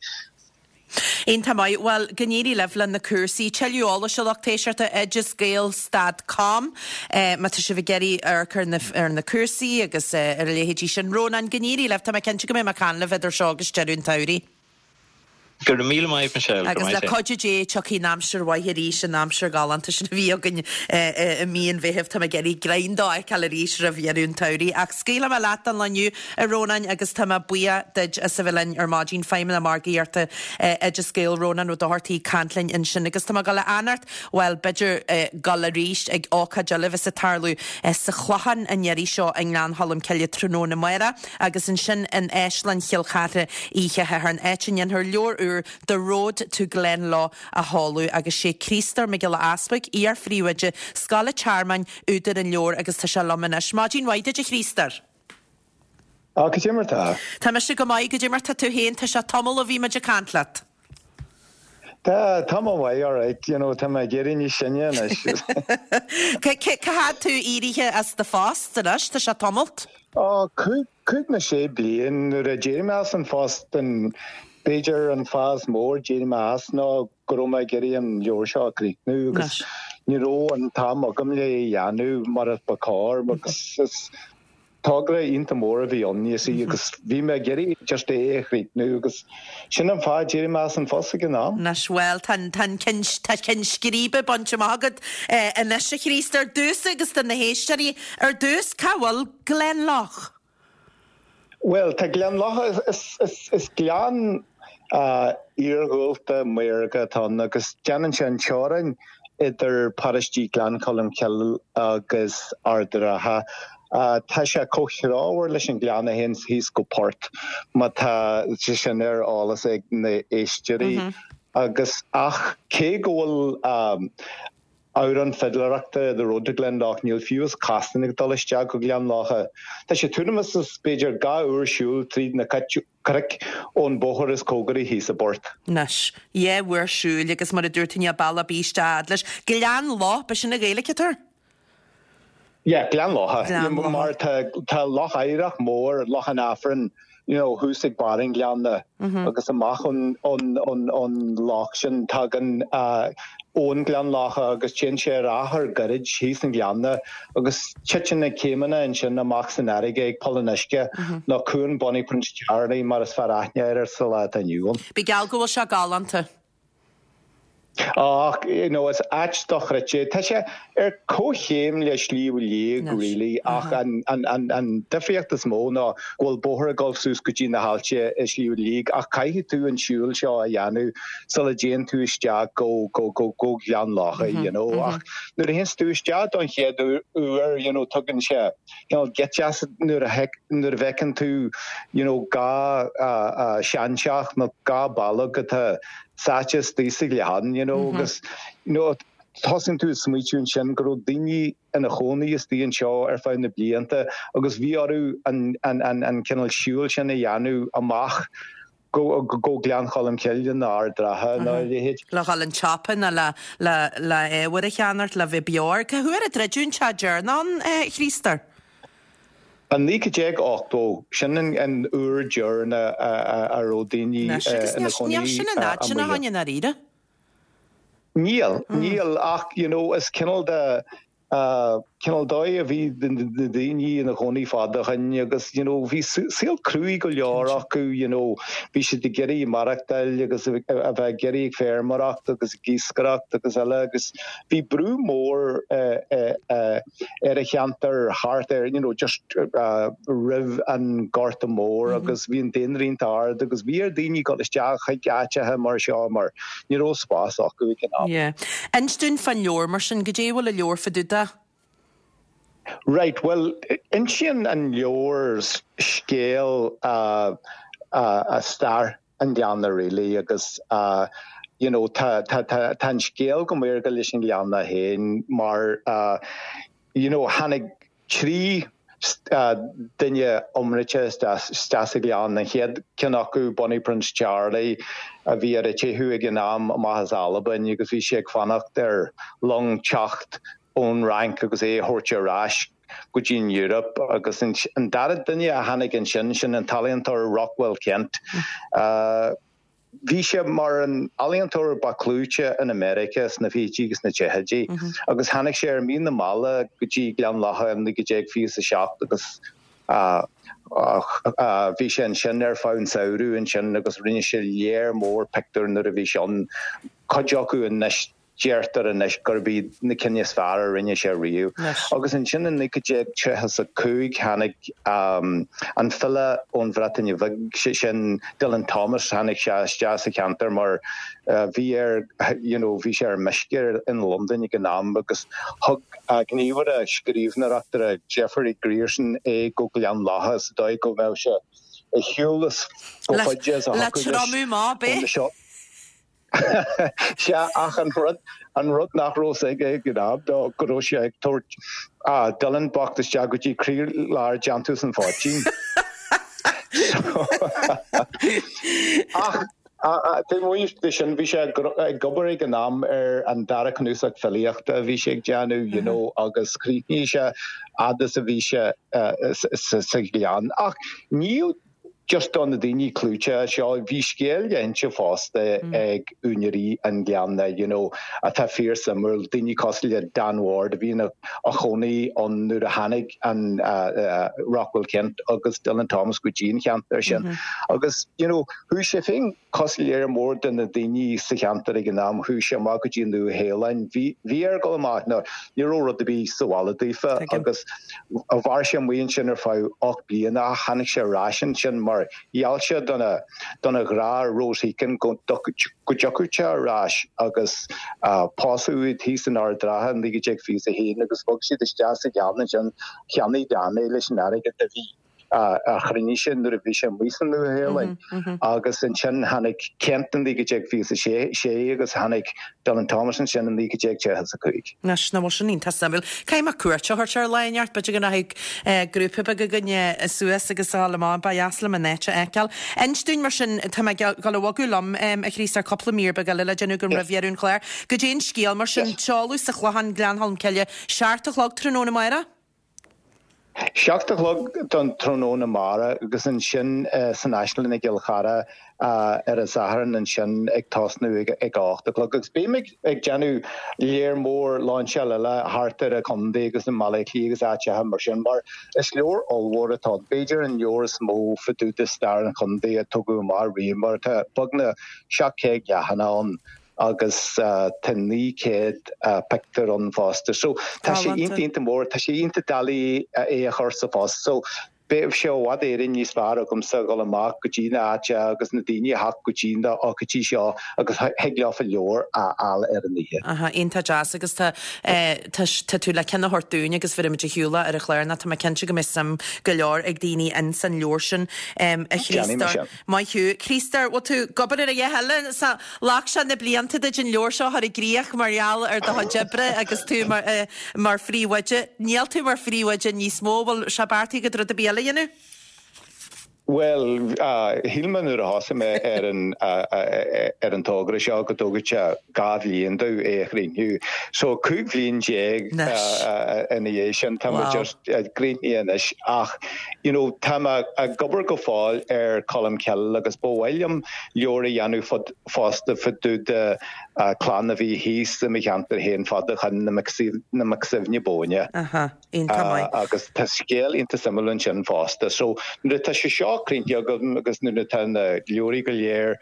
Iontach maith. Bhuel, go n-éirí libh le na cúrsaí. Tuilleadh eolais a lucht éisteachta, oideasgael stad com má tá sibh ag iarraidh amharc ar na, ar na cúrsaí agus ar a leithéidí sin. Rónán, go n-éirí libh. Tá mé cinnte go mbeidh mé ag caint libh idir seo agus deireadh an tsamhraidh. Go raibh míle maith, Michelle. Go Agus maith le sé. cuidiú Dé tiocfaidh an aimsir mhaith arís, an aimsir ghalánta sin a bhí againn i mí an Mheithimh. Tá mé ag iarraidh greim dó a fheiceáil arís roimh dheireadh an tsamhraidh. Ach scaoilfidh mé leat don lá inniu, a Rónáin, agus tá mé buíoch duit as a bheith linn ar maidin. Feidhmeannach Margaíochta Oideas Gael, Rónán Ó Dochartaigh ag caint linn ansin. Agus tá mé ag dul a fhanacht, bhuel, b'fhéidir dul arís ag ócáid eile a bheas ag tarlú sa Chlochán an iarraidh seo i nGleann Cholm Cille tráthnóna amárach. Agus ansin in Áislann Chill Chartha oíche Shathairn, áit a ndéanfar leabhar úr The Road to Glenlough a sheoladh agus sé Críostóir Mac Giolla Easpaig, iar-phríomhoide Scoil an Tearmainn, údar an leabhair agus tá sé liom anois. Maidin mhaith duit a Chríostóir. Á, cad é mar tá? Tá mise go maith, cad é mar tá tú féin? Tá sé tamall ó bhí muid ag caint leat. Tá, tá mé maith, alright, you know, tá mé ag éirí níos sine anois. Cá fhad tú éirithe as do phost anois? Tá sé tamalt. Ó, cúig nó sé bliain nuair a d'éirigh mé as an phost, an, b'fhéidir an fáth is mó ar d'éirigh mé as ná go raibh mé ag iarraidh an leabhar seo a chríochnú agus ní raibh an t-am agam le é a dhéanamh mar a ba chóir agus is. Togra iontach mór a bhí ann, you see, agus bhí mé ag iarraidh just é a chríochnú agus sin an fáth a d'éirigh mé as an phost ag an am. Anois, bhuel, tá an, tá an ceann, tá ceann scríbe bainte amach agat anois, a Chríostair. Domhsa agus do na héisteoirí, ar dtús, cá bhfuil Gleann Locha? Bhuel, tá Gleann Locha, is, is, is gleann iarghúlta maorga atá ann agus déanann sé an teorainn idir paróistí Ghleann Cholm Cille agus Ard an Rátha. Tá sé comhthreomhar leis an ghleann a théann thíos go Port, má tá sé sin ar eolas ag na héisteoirí. Agus ach cé go bhfuil amhrán fidléireachta The Road to Glenlough, níl fiú is cosán ag dul isteach go Gleann Locha. Tá sé tuairim is b'fhéidir 2 uair siúil tríd na cnoic ón bóthar is cóngaraí thíos i bPort. Anois, dhá uair siúil agus mar a dúirt tú níl bealach ar bith isteach fhad leis. Gleann Loch, b'shin an Ghaeilge atá air? Yeah, Gleann Locha. Gleann Locha. Mar tá tá loch oighreach mór, Loch an Aifrinn, you know, thuas ag barr an ghleanna agus amach ón ón ón ón loch sin tagann abhainn Ghleann Locha agus téann sé ar achar gairid thíos an ghleanna agus titeann na céimeanna ansin amach san fharraige ag Poll an Uisce nó Cuan Bonnie Prince Charlie mar is fearr aithne air sa lá atá inniu ann. Bí geall go bhfuil sé galánta. Ach, you know, is áit dochreidte. Tá sé ar comhchéim le Sliabh Liag really ach an an difríocht is mó ná go bhfuil bóthar ag dul suas go dtí na haillte i Sliabh Liag ach caithfidh tú an siúl seo a dhéanamh sula dtéann tú isteach go go go go Gleann Locha, you know. Ach nuair a théanns tú isteach don chéad uair, you know, tugann sé cineál geit as nuair a nuair a bhfeiceann tú, you know, dhá seanteach nó dhá bholg atá sáite istigh sa ghleann, you know, agus, you know, tosaíonn tú ag smaoitiú ansin go raibh daoine ina chónaí istigh anseo ar feadh na blianta agus bhí orthu an an an an cineál siúil sin a dhéanamh amach go go Gleann Cholm Cille nó Ard an Rátha nó a leithéid. Le dhul an tsiopa nó le le le ábhar a cheannacht le bheith beo air. Cá huair a druideadh an teach deireanach ann, a Chríostair? I 1980, sin an uair deireanach a raibh daoine ina chónaí Níl sin an fhad sin ó shin i ndáiríre. Níl, níl ach you know is cineál de cineál dóigh a bhí na daoine ina chónaí fada ó shin agus you know bhí saol cruaidh go leor acu you know bhí siad ag iarraidh maireachtáil agus a bheith ag iarraidh ag feirmeoireacht agus ag iascaireacht agus eile agus bhí brú mór ar an cheantar thart ar you know just roimh an Gorta Mór agus bhí an daonra iontach ard agus bhí ar daoine dul isteach chuig áiteacha mar seo mar Ní raibh spás acu ag an am. Yeah. Inis dúinn fán leabhar mar sin, goidé a bhfuil an leabhar fá dtaobh de? Right, bhuel, insíonn an leabhar scéal stair an ghleanna really agus you know tá tá tá tá an scéal go maorga leis an ghleanna féin mar you know tháinig 3 duine iomráiteach isteach sa ghleann. An chéad ceann acu, Bonnie Prince Charlie, a bhí ar a teitheadh ag an am amach as Albain agus bhí sé ag fanacht ar long teacht ón Fhrainc agus é a thabhairt ar ais go dtí an Eoraip. Agus an dara duine a tháinig ansin, sin an t-ealaíontóir Rockwell Kent. Bhí sé mar an ealaíontóir ba clúite in America sna fichidí agus na tríochaidí agus tháinig sé ar mhí na meala go dtí Gleann Locha i 1927 agus bhí sé ansin ar feadh an samhradh ansin agus rinne sé léar mór pictiúr nuair a bhí sé ann, cuid acu anois. Deirtear anois gurb iad na cinn is fearr a rinne sé riamh. Agus ansin i 1935 tháinig an file ón Bhreatain Bheag, sé sin Dylan Thomas, tháinig sé isteach sa cheantar mar bhí air, you know, bhí sé ar meisce in Londain ag an am agus thug gníomhaire scríbhneoireachta Jeffrey Grierson é go Gleann Locha sa dóigh go mbeadh sé ar shiúl as chomh faide is a thiocfadh leis. Le triomú maith, b'é? Sea, ach an rud, an rud nach raibh fhios aige ag an am ná go raibh sé ag tabhairt Dylan bocht isteach go dtí croílár déantús an phoitín. Ach taobh amuigh de sin, bhí sé ag obair ag an am ar an dara cnuasach filíochta a bhí sé ag déanamh, you know, agus chríochnaigh sé fhad is a bhí sé sa ghleann. Ach níl. Just do na daoine clúiteacha seo, bhí scéal le hinse fosta ag úinéirí an ghleanna, you know, atá fíor suimiúil, daoine cosúil le Dan Ward a bhí ina chónaí ann nuair a tháinig an Rockwell Kent agus Dylan Thomas go dtí an cheantar sin. Agus, you know, chuaigh sé féin cosúil le lear mór de na daoine sa cheantar ag an am, chuaigh sé amach go dtí an Nua-Shéalainn. Bhí, bhí air dul amach, nó ní raibh rud ar bith sa bhaile daofa agus mhair sé amuigh ansin ar feadh 8 bliana ach tháinig sé ar ais ansin mar gheall sé dona, dona ghrá Rose Heekin go dtiocfadh sé ar ais agus pósadh iad thíos in Ard Ratha in 1921 agus bhog siad isteach sa ghleann ansin, cheannaigh Dan é leis an airgead a bhí. a chruinnigh sé nuair a bhí sé amuigh sa Nua-Shéalainn agus ansin tháinig Kent in 1926 agus tháinig Dylan Thomas ansin in 1935. Anois, nach bhfuil sin iontach suimiúil. Caithfidh mé cuairt a thabhairt air lá inteacht, b'fhéidir go rachaidh grúpa beag againne suas agus a dhul amach, ba dheas liom an áit a fheiceáil. Inis dúinn mar sin, tá mé ag dul a bhogadh liom, a Chríostóir, cúpla mír beag eile le déanamh agam roimh dheireadh an chláir. Goidé an scéal mar sin, seoladh sa Chlochán, Gleann Cholm Cille, 7 a chlog tráthnóna amárach? 7 a chlog don tráthnóna amárach agus ansin san Áislann i gCill Chartha ar an Satharn ansin ag tosnú ag a 8 a chlog. Agus beidh muid ag déanamh lear mór lainseáil eile thart ar an chontae agus i mBaile Átha Cliath agus áiteacha mar sin mar is leabhar ollmhór atá ann, b'fhéidir an leabhar is mó fá dtaobh de stair an chontae a tugadh amach riamh mar tá beagnach 700 leathanach ann. agus tá 900 pictiúr ann fosta. So tá sé iontach iontach mór, tá sé iontach doiligh é a chur sa phost. So beidh sé i bhfad Éireann níos fearr agamsa a dhul amach go dtí na háite agus na daoine a theacht go dtí na ócáidí seo agus thig leofa leabhar a fháil ar an oíche. Aha, iontach deas agus tá tá tá tú le ceann a thabhairt dúinn agus bhéarfaidh muid ar shiúl é ar an chlár nó tá mé cinnte go mbeidh suim go leor ag daoine ins an leabhar sin a Déanfaidh mé Chríostóir. sin. Maith thú. Críostóir, bhfuil tú ag obair ar a dhath eile? Sea, ghlac sé na blianta duit an leabhar seo a chur i gcrích mar gheall ar do chuid oibre agus tú mar, mar phríomhoide. Níl tú mar phríomhoide níos mó, bhfuil sé beartaithe agat rud ar bith eile a dhéanamh? Bhuel, shíl mé nuair a thosaigh mé ar an, ar an togra seo go dtógfadh sé 2 bhliain domh é a chríochnú. So 15 bhliain ina dhiaidh sin tá mé just críochnaithe anois ach, you know, tá mé ag obair go fóill ar Colmcille agus ba mhaith liom leabhar a dhéanamh fud, fosta fá dtaobh de clann a bhí thíos i mo cheantar féin fad ó shin, na Mac Suibhne Bóinne. Aha, iontach maith. Agus tá scéal iontach suimiúil ansin fosta. So nuair atá sé seo críochnaithe agam agus nuair atá na leabhraí go léir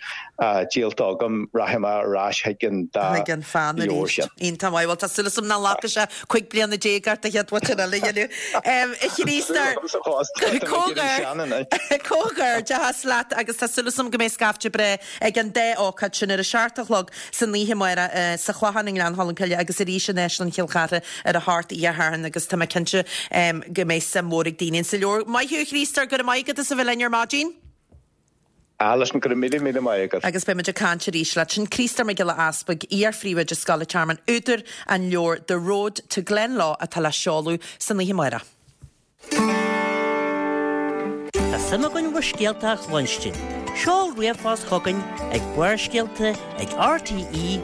díolta agam, rachaidh mé ar ais chuig an dá Chuig an pheann leabhar arís. sin. Iontach maith. Bhuel, tá súil agam nach nglacfaidh sé 15 bliana ort an chéad bhuitéal eile a dhéanamh. A Chríostóir, Comhghairdeachas leat agus tá súil agam go mbeidh scaifte breá ag an dá ócáid sin ar a seacht a chlog san oíche amárach sa Chlochán i nGleann Cholm Cille agus arís in Áislann Chill Chartha ar a hocht oíche Shathairn agus tá mé cinnte go mbeidh suim mhór ag daoine insa leabhar. Maith thú a Chríostóir, go raibh maith agat as a bheith linn ar maidin. Alison, go raibh míle míle maith agat. Agus beidh muid ag caint arís leat. Sin Críostóir Mac Giolla Easpaig, iar-phríomhoide Scoil an Tearmainn, údar an leabhair The Road to Glenlough atá le seoladh san oíche amárach. Tá suim againn bhur scéalta a chluinstin. Seol ríomhphost chugainn ag barrscéalta ag rte.ie.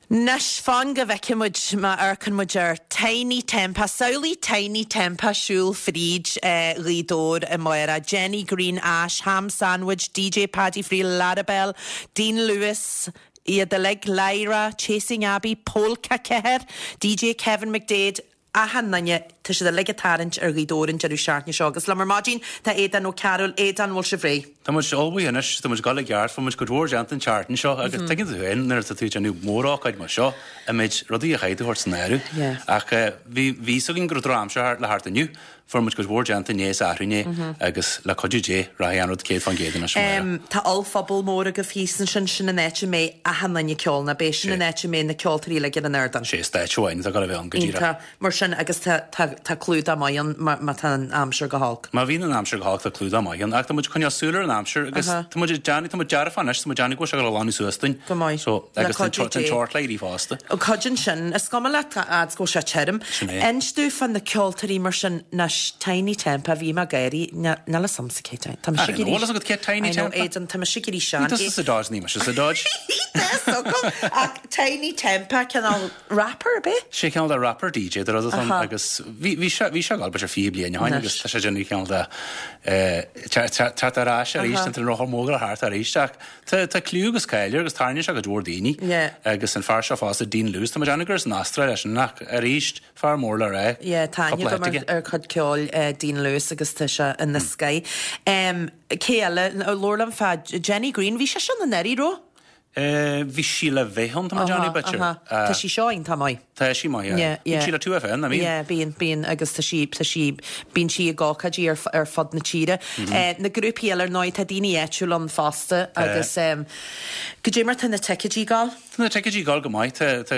Anois, fan go bhfeicfidh muid má amharcann muid ar Tinie Tempah. Samhlaigh Tinie Tempah siúl fríd Ghaoth Dobhair amárach. Jenny Green Ash, Ham Sandwich, DJ Paddy Friel, Larabel, Dean Lewis, iad uilig, Lyra, Chasing Abbey, Polka 4, DJ Kevin McDaid, achan nduine, tá siad uilig ag tarraingt ar Ghaoth Dobhair an deireadh seachtaine seo agus liom ar maidin tá Aodán Ó Cearúil. Aodán, bhfuil sibh réidh? Tá muid ullmhaithe anois, tá muid ag dul i gceart, fuair muid cuid mhór déanta an tseachtain seo agus tuigeann tú féin nuair atá tú ag déanamh mórócáid mar seo, an méid rudaí a chaithfidh tú a thabhairt san áireamh. Ach bhí bhí fhios againn go raibh drochaimsir le theacht inniu, fuair muid cuid mhór déanta inné is arú inné agus le cuidiú Dé rachaidh an rud 100% anois amárach. Tá ollphuball mór agaibh thíos ansin, sin an áit a mbeidh achan duine ag ceol, nach b'é? Sin an áit a mbeidh na ceoltóirí uilig ar an ardán. Sé stáitse amháin atá ag dul a bheith ann go díreach. Iontach mar sin agus tá tá tá clúdach maith ann má má tá an aimsir go holc. Má bhíonn an aimsir go holc tá clúdach maith ann ach tá muid ag coinneáil súil ar an aimsir agus tá muid ag déanamh tá muid dearfach anois tá muid ag déanamh go bhfuil sé ag dul a ghlanadh suas dúinn. Go maith. So Le agus tá an cuidiú tá an Dé. teocht le éirí fosta. Cuidíonn sin. Is cuma leat a fhad 's go bhfuil sé tirim. Sin é. Inis domh fá na ceoltóirí mar sin, anois, Tinie Tempah, bhí mé ag gáirí, níl a fhios a'msa cé Tiny, tá mise ag éirí, Bhfuil fhios agat cé Tiny I know, Temper? Aidan, tá mise ag éirí sean. Ní tusa sa Dodge, ní mise sa Dodge. Tá fhios agam, ach Tinie Tempah, cineál rapper, ab é? Sé cineál de rapper DJ de rud atá ann agus. Bhí bhí sé bhí sé ag dul b'fhéidir 20 bliain ó shin agus tá sé ag déanamh cineál de teacht ar ais arís tá an rothar mór ag thart arís ach tá tá cliú agus cáil air agus tarraingíonn sé cuid mhór daoine agus an fear seo fosta Dean Lewis tá mé ag déanamh gur as an Astráil é sin ach arís fear mór le rá Yeah tá aithne cúpla agam áit aige. ar chuid ceoil Dean Lewis agus tá sé ina scoith. Cé eile? Labhair liom fá Jenny Greene bhí sise ann anuraidh raibh? Bhí sí le bheith ann, tá mé ag déanamh, b'fhéidir. Tá sí seo iontach maith. Tá sí maith, yeah. Bíonn sí le 2FM, nach mbíonn? Yeah, bíonn, bíonn agus tá sí, tá sí, bíonn sí ag ócáidí ar, ar fud na tíre. Na grúpaí eile ar ndóigh, tá daoine áitiúla ann fosta agus goidé mar tá na ticéidí ag gabháil? Tá na ticéidí ag gabháil go maith. Tá, tá,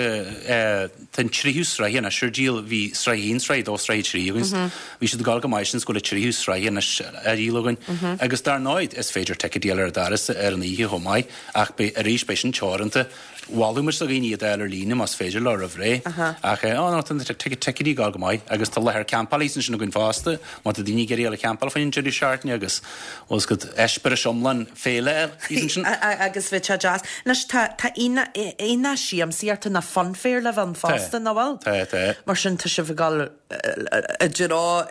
tá an tríú sraith anois ar díol. Bhí sraith a haon, sraith a dó, sraith a trí againn. Bhí siad ag gabháil go maith sin is go bhfuil an tríú sraith anois á dhíol againn. Agus dar ndóigh, is féidir ticéidí a fháil ar an doras ar an oíche chomh maith. Ach beidh, arís, beidh sin teoranta. Mholfadh muid do dhaoine iad a fháil ar líne más féidir leo roimh ré. Ach, oh no, tá na ticéidí ag gabháil go maith agus tá láthair campála thíos ansin againn fosta má tá daoine ag iarraidh a dhul ag campáil faoin deireadh seachtaine agus, bhfuil 's agat, eispéireas iomlán féile a fháil thíos ansin. Agus bheadh sé deas. Anois, tá, tá aonach siamsaíochta nó funfair le bheith ann fosta, nach bhfuil? Tá, tá. Mar sin, tá sibh ag dul. i dtreo,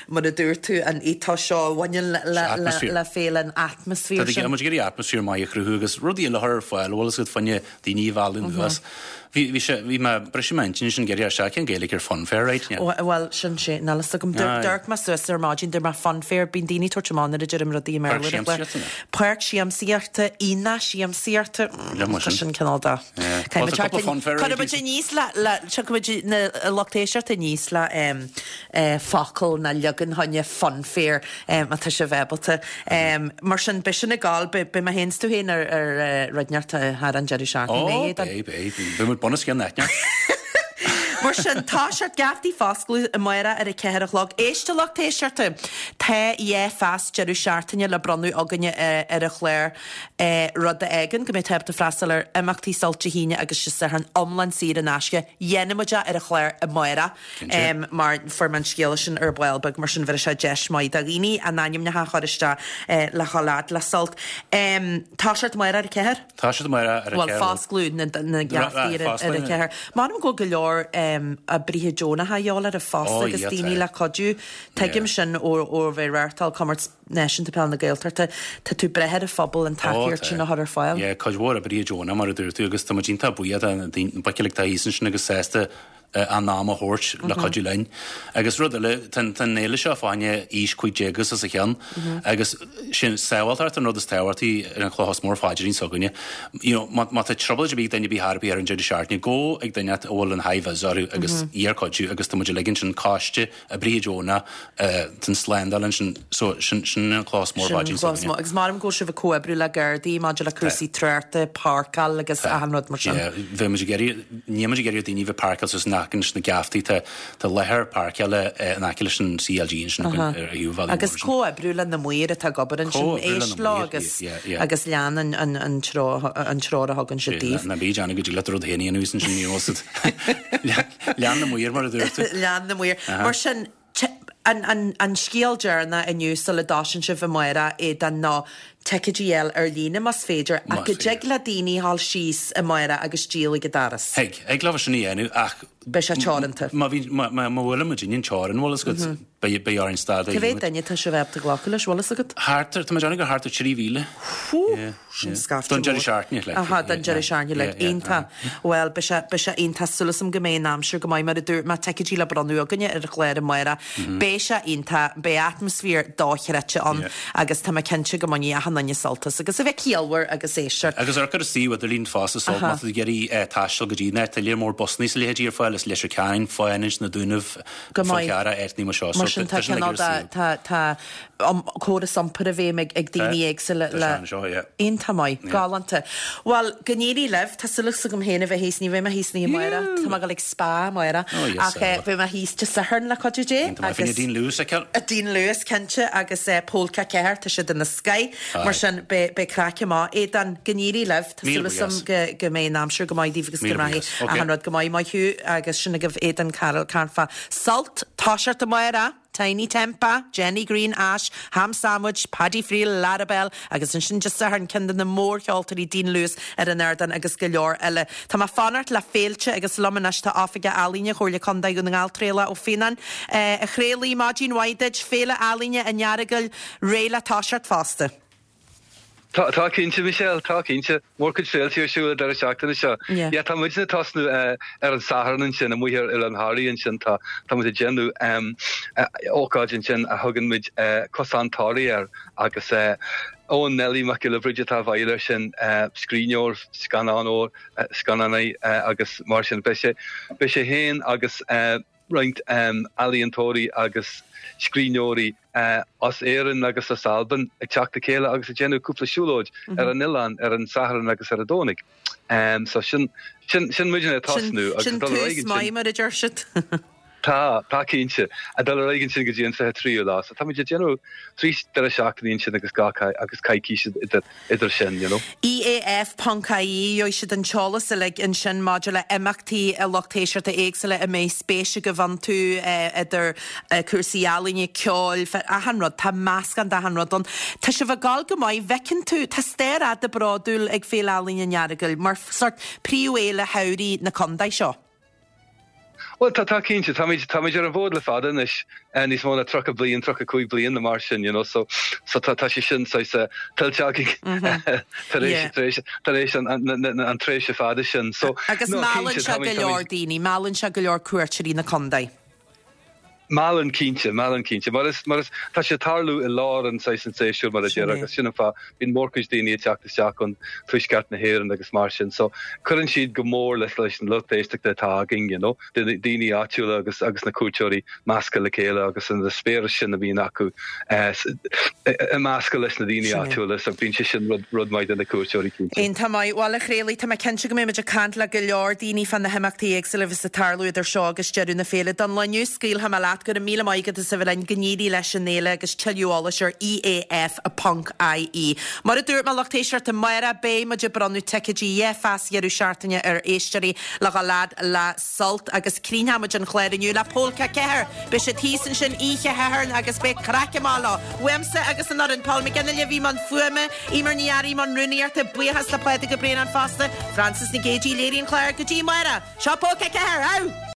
mar a dúirt tú, an ethos seo a bhaineann le féile, an atmaisféar sin. Tá muid ag iarraidh atmaisféar maith a chruthú agus rudaí eile a chur ar fáil, bhfuil 'fhios agat, fá choinne daoine a mhealladh anuas. Bhí, bhí sé, bhí mé, briseadh m'intinn ansin ag iarraidh isteach cén Gaeilge ar funfair, right? Yeah. Bhuel, sin sé, níl fhios agam. D'amharc mé suas ar maidin, dúirt mé funfair, bíonn daoine ag tabhairt amach nuair a deirim rudaí i mBéarla. Páirc siamsaíochta, nó? Páirc siamsaíochta, aonach siamsaíochta, tá sin cineál de. Cuirfidh muid aníos le, le, tiocfaidh muid na lucht éisteachta aníos le focal nó leagan fá choinne funfair má tá sibh ábalta. Mar sin, beidh sin ag gabháil, beidh mé féin 's tú féin ar rud inteacht thar an deireadh seachtaine, an mbeidh, Aodán? Ó, beidh, beidh. Beidh muid bunoscionn áit. Mar sin, tá siad geaftaí foscladh amárach ar a ceathair a chlog. Éist a lucht éisteachta, tá dhá phas deireadh seachtaine le bronnadh againne ar an chlár. rud a fhágann go mbeidh tú ábalta freastal ar imeachtaí Sult Dé hAoine agus Dé Sathairn iomlán saor in aisce. Dhéanfaidh muid é ar an chlár amárach mar fuair mé an scéala sin ar ball beag, mar sin bheir sé deis maith do dhaoine a n-ainmneacha a chur isteach le dhul fhad le Sult. Toiseacht amárach ar a ceathair? Toiseacht amárach ar a Bhuel, ceathair. foscladh na geaftaí ar a ceathair. M'anam go bhfuil go leor oibrithe deonacha a dhíobháil orthu fosta agus daoine le cuidiú. Tuigim sin ó bheith ag reáchtáil comórtas Náisiúnta Peile na Gaeltachta, tá tú ag brath ar an phobal an tacaíocht sin a chur ar fáil. Yeah, cuid mhór oibrithe deonacha, mar a dúirt tú, agus tá muid iontach buíoch de na daoine, na boic uilig atá thíos ansin agus sásta a n-am a thabhairt le cuidiú linn. Agus rud eile, tá an fhéile seo fá choinne aois 15 agus os a chionn agus sin sábháilteacht an rud is tábhachtaí ar an chloch is mó ar phaidrín s'againne. You know, má má tá trioblóid ar bith ag duine ar bith thar ar bith ar an deireadh seachtaine, gabh ag duine a bhfuil an high-vis orthu agus iarr cuidiú agus tá muid uilig ansin, coiste, Oibrithe deonacha, tá an slándáil ansin, so sin sin an cloch is mó ar phaidrín s'againne. Agus m'anam go bhfuil sibh ag comhoibriú le Gardaí maidir le cúrsaí tráchta, páirceáil agus achan rud mar sin. Yeah, bheadh muid ag iarraidh, níl muid ag iarraidh daoine a bheith páirceáil suas in aice leis na geaftaí, tá tá láthair páirceála in aice leis an CLG ansin againn ar thaobh an bhealaigh Agus mhóir ansin. comhoibriú le na maoir atá ag obair ansin, Comhoibriú le éist na leo maoir, agus yeah, yeah. agus lean an an an treo an treoir a thugann siad daoibh. Ná bí ag déanamh go dtig leat rud féin a dhéanamh ansin, ní raibh Lean na maoir, mar a dúirt tú. Lean na maoir. Mar sin, an scéal deireanach inniu sula dtosaíonn sibh amárach, Aodán, ná ticéidí a fháil ar líne más féidir, ach go dtig le daoine a dhul síos amárach agus díol ag an doras. Thig. Thig leo sin a dhéanamh ach. Beidh sé teoranta. Má bhíonn, má bhuaileann muid an teorainn, bhfuil fhios agat, beidh orainn stad a dhéanamh. Cá mhéad duine atá sibh ábalta glacadh leis, bhfuil fhios agat? Thart ar, tá mé ag déanamh gur thart ar 3,000. Hú! Sin scaifte Don mór. deireadh seachtaine, like. Aha, don deireadh seachtaine, like. Iontach. Bhuel, beidh sé, beidh sé iontach. Súil agam go mbeidh an aimsir go maith, mar a dúirt mé, ticéidí le bronnadh againne ar an chlár amárach. Beidh sé iontach, beidh atmaisféar dochreidte ann agus tá mé cinnte go mbainfidh achan duine sult as agus a bheith ciallmhar agus éisteacht. Agus amharc ar an suíomh idirlín fosta so má tá tú ag iarraidh taisteal go dtí an áit, tá léar mór busanna is a leithéidí ar fáil as Leitir Ceanainn, Fánaid, Na Dúnaibh, Go Fál maith. Carrach, áiteanna mar seo. Mar So sin tá tá sin cineál uilig ar an de, suíomh. tá, tá, córas iompair i bhfeidhm ag daoine éagsúla le. Iontach maith. Galánta. Bhuel, go n-éirí libh. Tá súil agam féin a bheith thíos, ní bheidh mé thíos an oíche amárach, tá mé ag dul ag spa amárach, ach beidh mé thíos Dé Sathairn le cuidiú Dé. Iontach maith. Fá choinne Dean Lewis a fheiceáil. Dean Lewis, cinnte, agus Polca 4, tá siad ina scoith. Mar sin, beidh craic amach. Aodán, go n-éirí libh. Tá súil agam go mbeidh an aimsir go maith daoibh agus go mbeidh achan rud go maith. Maith thú agus sin agaibh Aodán Carroll ag caint fá Sult, toiseacht amárach. Tinie Tempah, Jenny Green, Ash, Ham Sandwich, Paddy Friel, Larabel agus ansin Dé Sathairn ceann de na mórcheoltóirí Dean Lewis ar an ardán agus go leor eile. Tá mé ag fanacht le féilte agus liom anois tá Oifigeach Ealaíne Chomhairle Contae Dhún na nGall, Traolach Ó Fíonáin. A Thraolaigh, maidin mhaith duit. Féile Ealaíne an Earagail réidh le toiseacht fosta. Tá, tá cinnte, Michelle, tá cinnte. Mórchuid féilte ar siúl an deireadh seachtaine seo. Yeah. Yeah, tá muidne ag tosnú ar an Satharn ansin, amuigh ar Oileán Thoraí ansin, tá, tá muid ag déanamh ócáid ansin a thugann muid Cosán Toraí air agus Eoin Neilí Mac Giolla Bhríde atá i bhfeighil air sin, scríbhneoir, scannánóir, scannánaí agus mar sin. Beidh sé, beidh sé féin agus roinnt ealaíontóirí agus scríbhneoirí as Éirinn agus as Albain ag teacht le chéile agus ag déanamh cúpla siúlóid ar an oileán ar an Satharn agus ar an Domhnaigh. So sin, sin, sin muidne ag tosnú agus ag dul ar aghaidh ansin. Sin tús maith mar a deir siad. Tá, tá cinnte. Ag dul ar aghaidh ansin go dtí an 23ú lá. So táimid ag déanamh 3 deireadh seachtaine ansin agus gach, agus coicís idir, idir sin, you know. EAF ponc IE, Gheobhaidh sibh an t-eolas uilig ansin maidir le imeachtaí a lucht éisteachta éagsúla a mbeidh spéis agaibh iontu, idir cúrsaí ealaíne, ceoil, achan rud, tá meascán d'achan rud ann. Tá sibh ag gabháil go maith, bhfeiceann tú, tá stair fhada bródúil ag Féile Ealaíne an Earagail mar sórt príomhfhéile shamhraidh na contae seo. Bhuel, tá, tá cinnte. Táimid, táimid ar an bhfód le fada anois, níos mó ná 30 bliain, 35 bliain nó mar sin, you know, so, so tá, tá sé sin saghas tuillte againn tar éis, tar éis, tar éis an, an, an, an tréimhse fada sin. So, Agus no, meallann cinnte, sé go táimid, leor táimid, daoine, meallann sé go leor cuairteoirí na contae. Meallann cinnte, meallann cinnte. Mar is, mar is, tá sé ag tarlú i lár an saghas an tséasúir mar a Sin déarfá é. agus sin an fáth, bíonn mórchuid daoine ag teacht isteach ón tuaisceart na hÉireann agus mar sin. So, cuireann siad go mór leis leis an lucht éisteachta atá againn, you know, daoine áitiúla agus agus na cuairteoirí measctha le chéile agus an eispéireas sin a bhíonn acu eh, ag meascadh leis na daoine Sin é. áitiúla, so bíonn sé sin rud rud maith do na cuairteoirí cinnte. Iontach maith. Bhuel, a Thraolaigh, tá mé cinnte go mbeidh muid ag caint le go leor daoine fá na himeachtaí éagsúla a bheas ag tarlú idir seo agus deireadh na féile. Don lá inniu, scaoilfidh mé leat. Go raibh míle maith agat as a bheith linn. Go n-éirí leis an fhéile agus tuilleadh eolais ar EAF ponc IE. Mar a dúirt mé, lucht éisteachta, amárach beidh muid ag bronnadh ticéidí dhá phas dheireadh seachtaine ar éisteoirí le dhul fhad le Sult agus críochnóidh muid an clár inniu le Pólca 4. Beidh siad thíos ansin oíche Shathairn agus beidh craic amach leo. Uaimse agus an fhoireann, Paul McGinley a bhí i mbun fuaime, Eimear Ní Fhearraigh i mbun rúnaíochta, buíochas le Pádraig Ó Braonáin fosta, Frances Nic Géadaigh a léirigh an clár go dtí amárach. Seo Pólca 4! Au!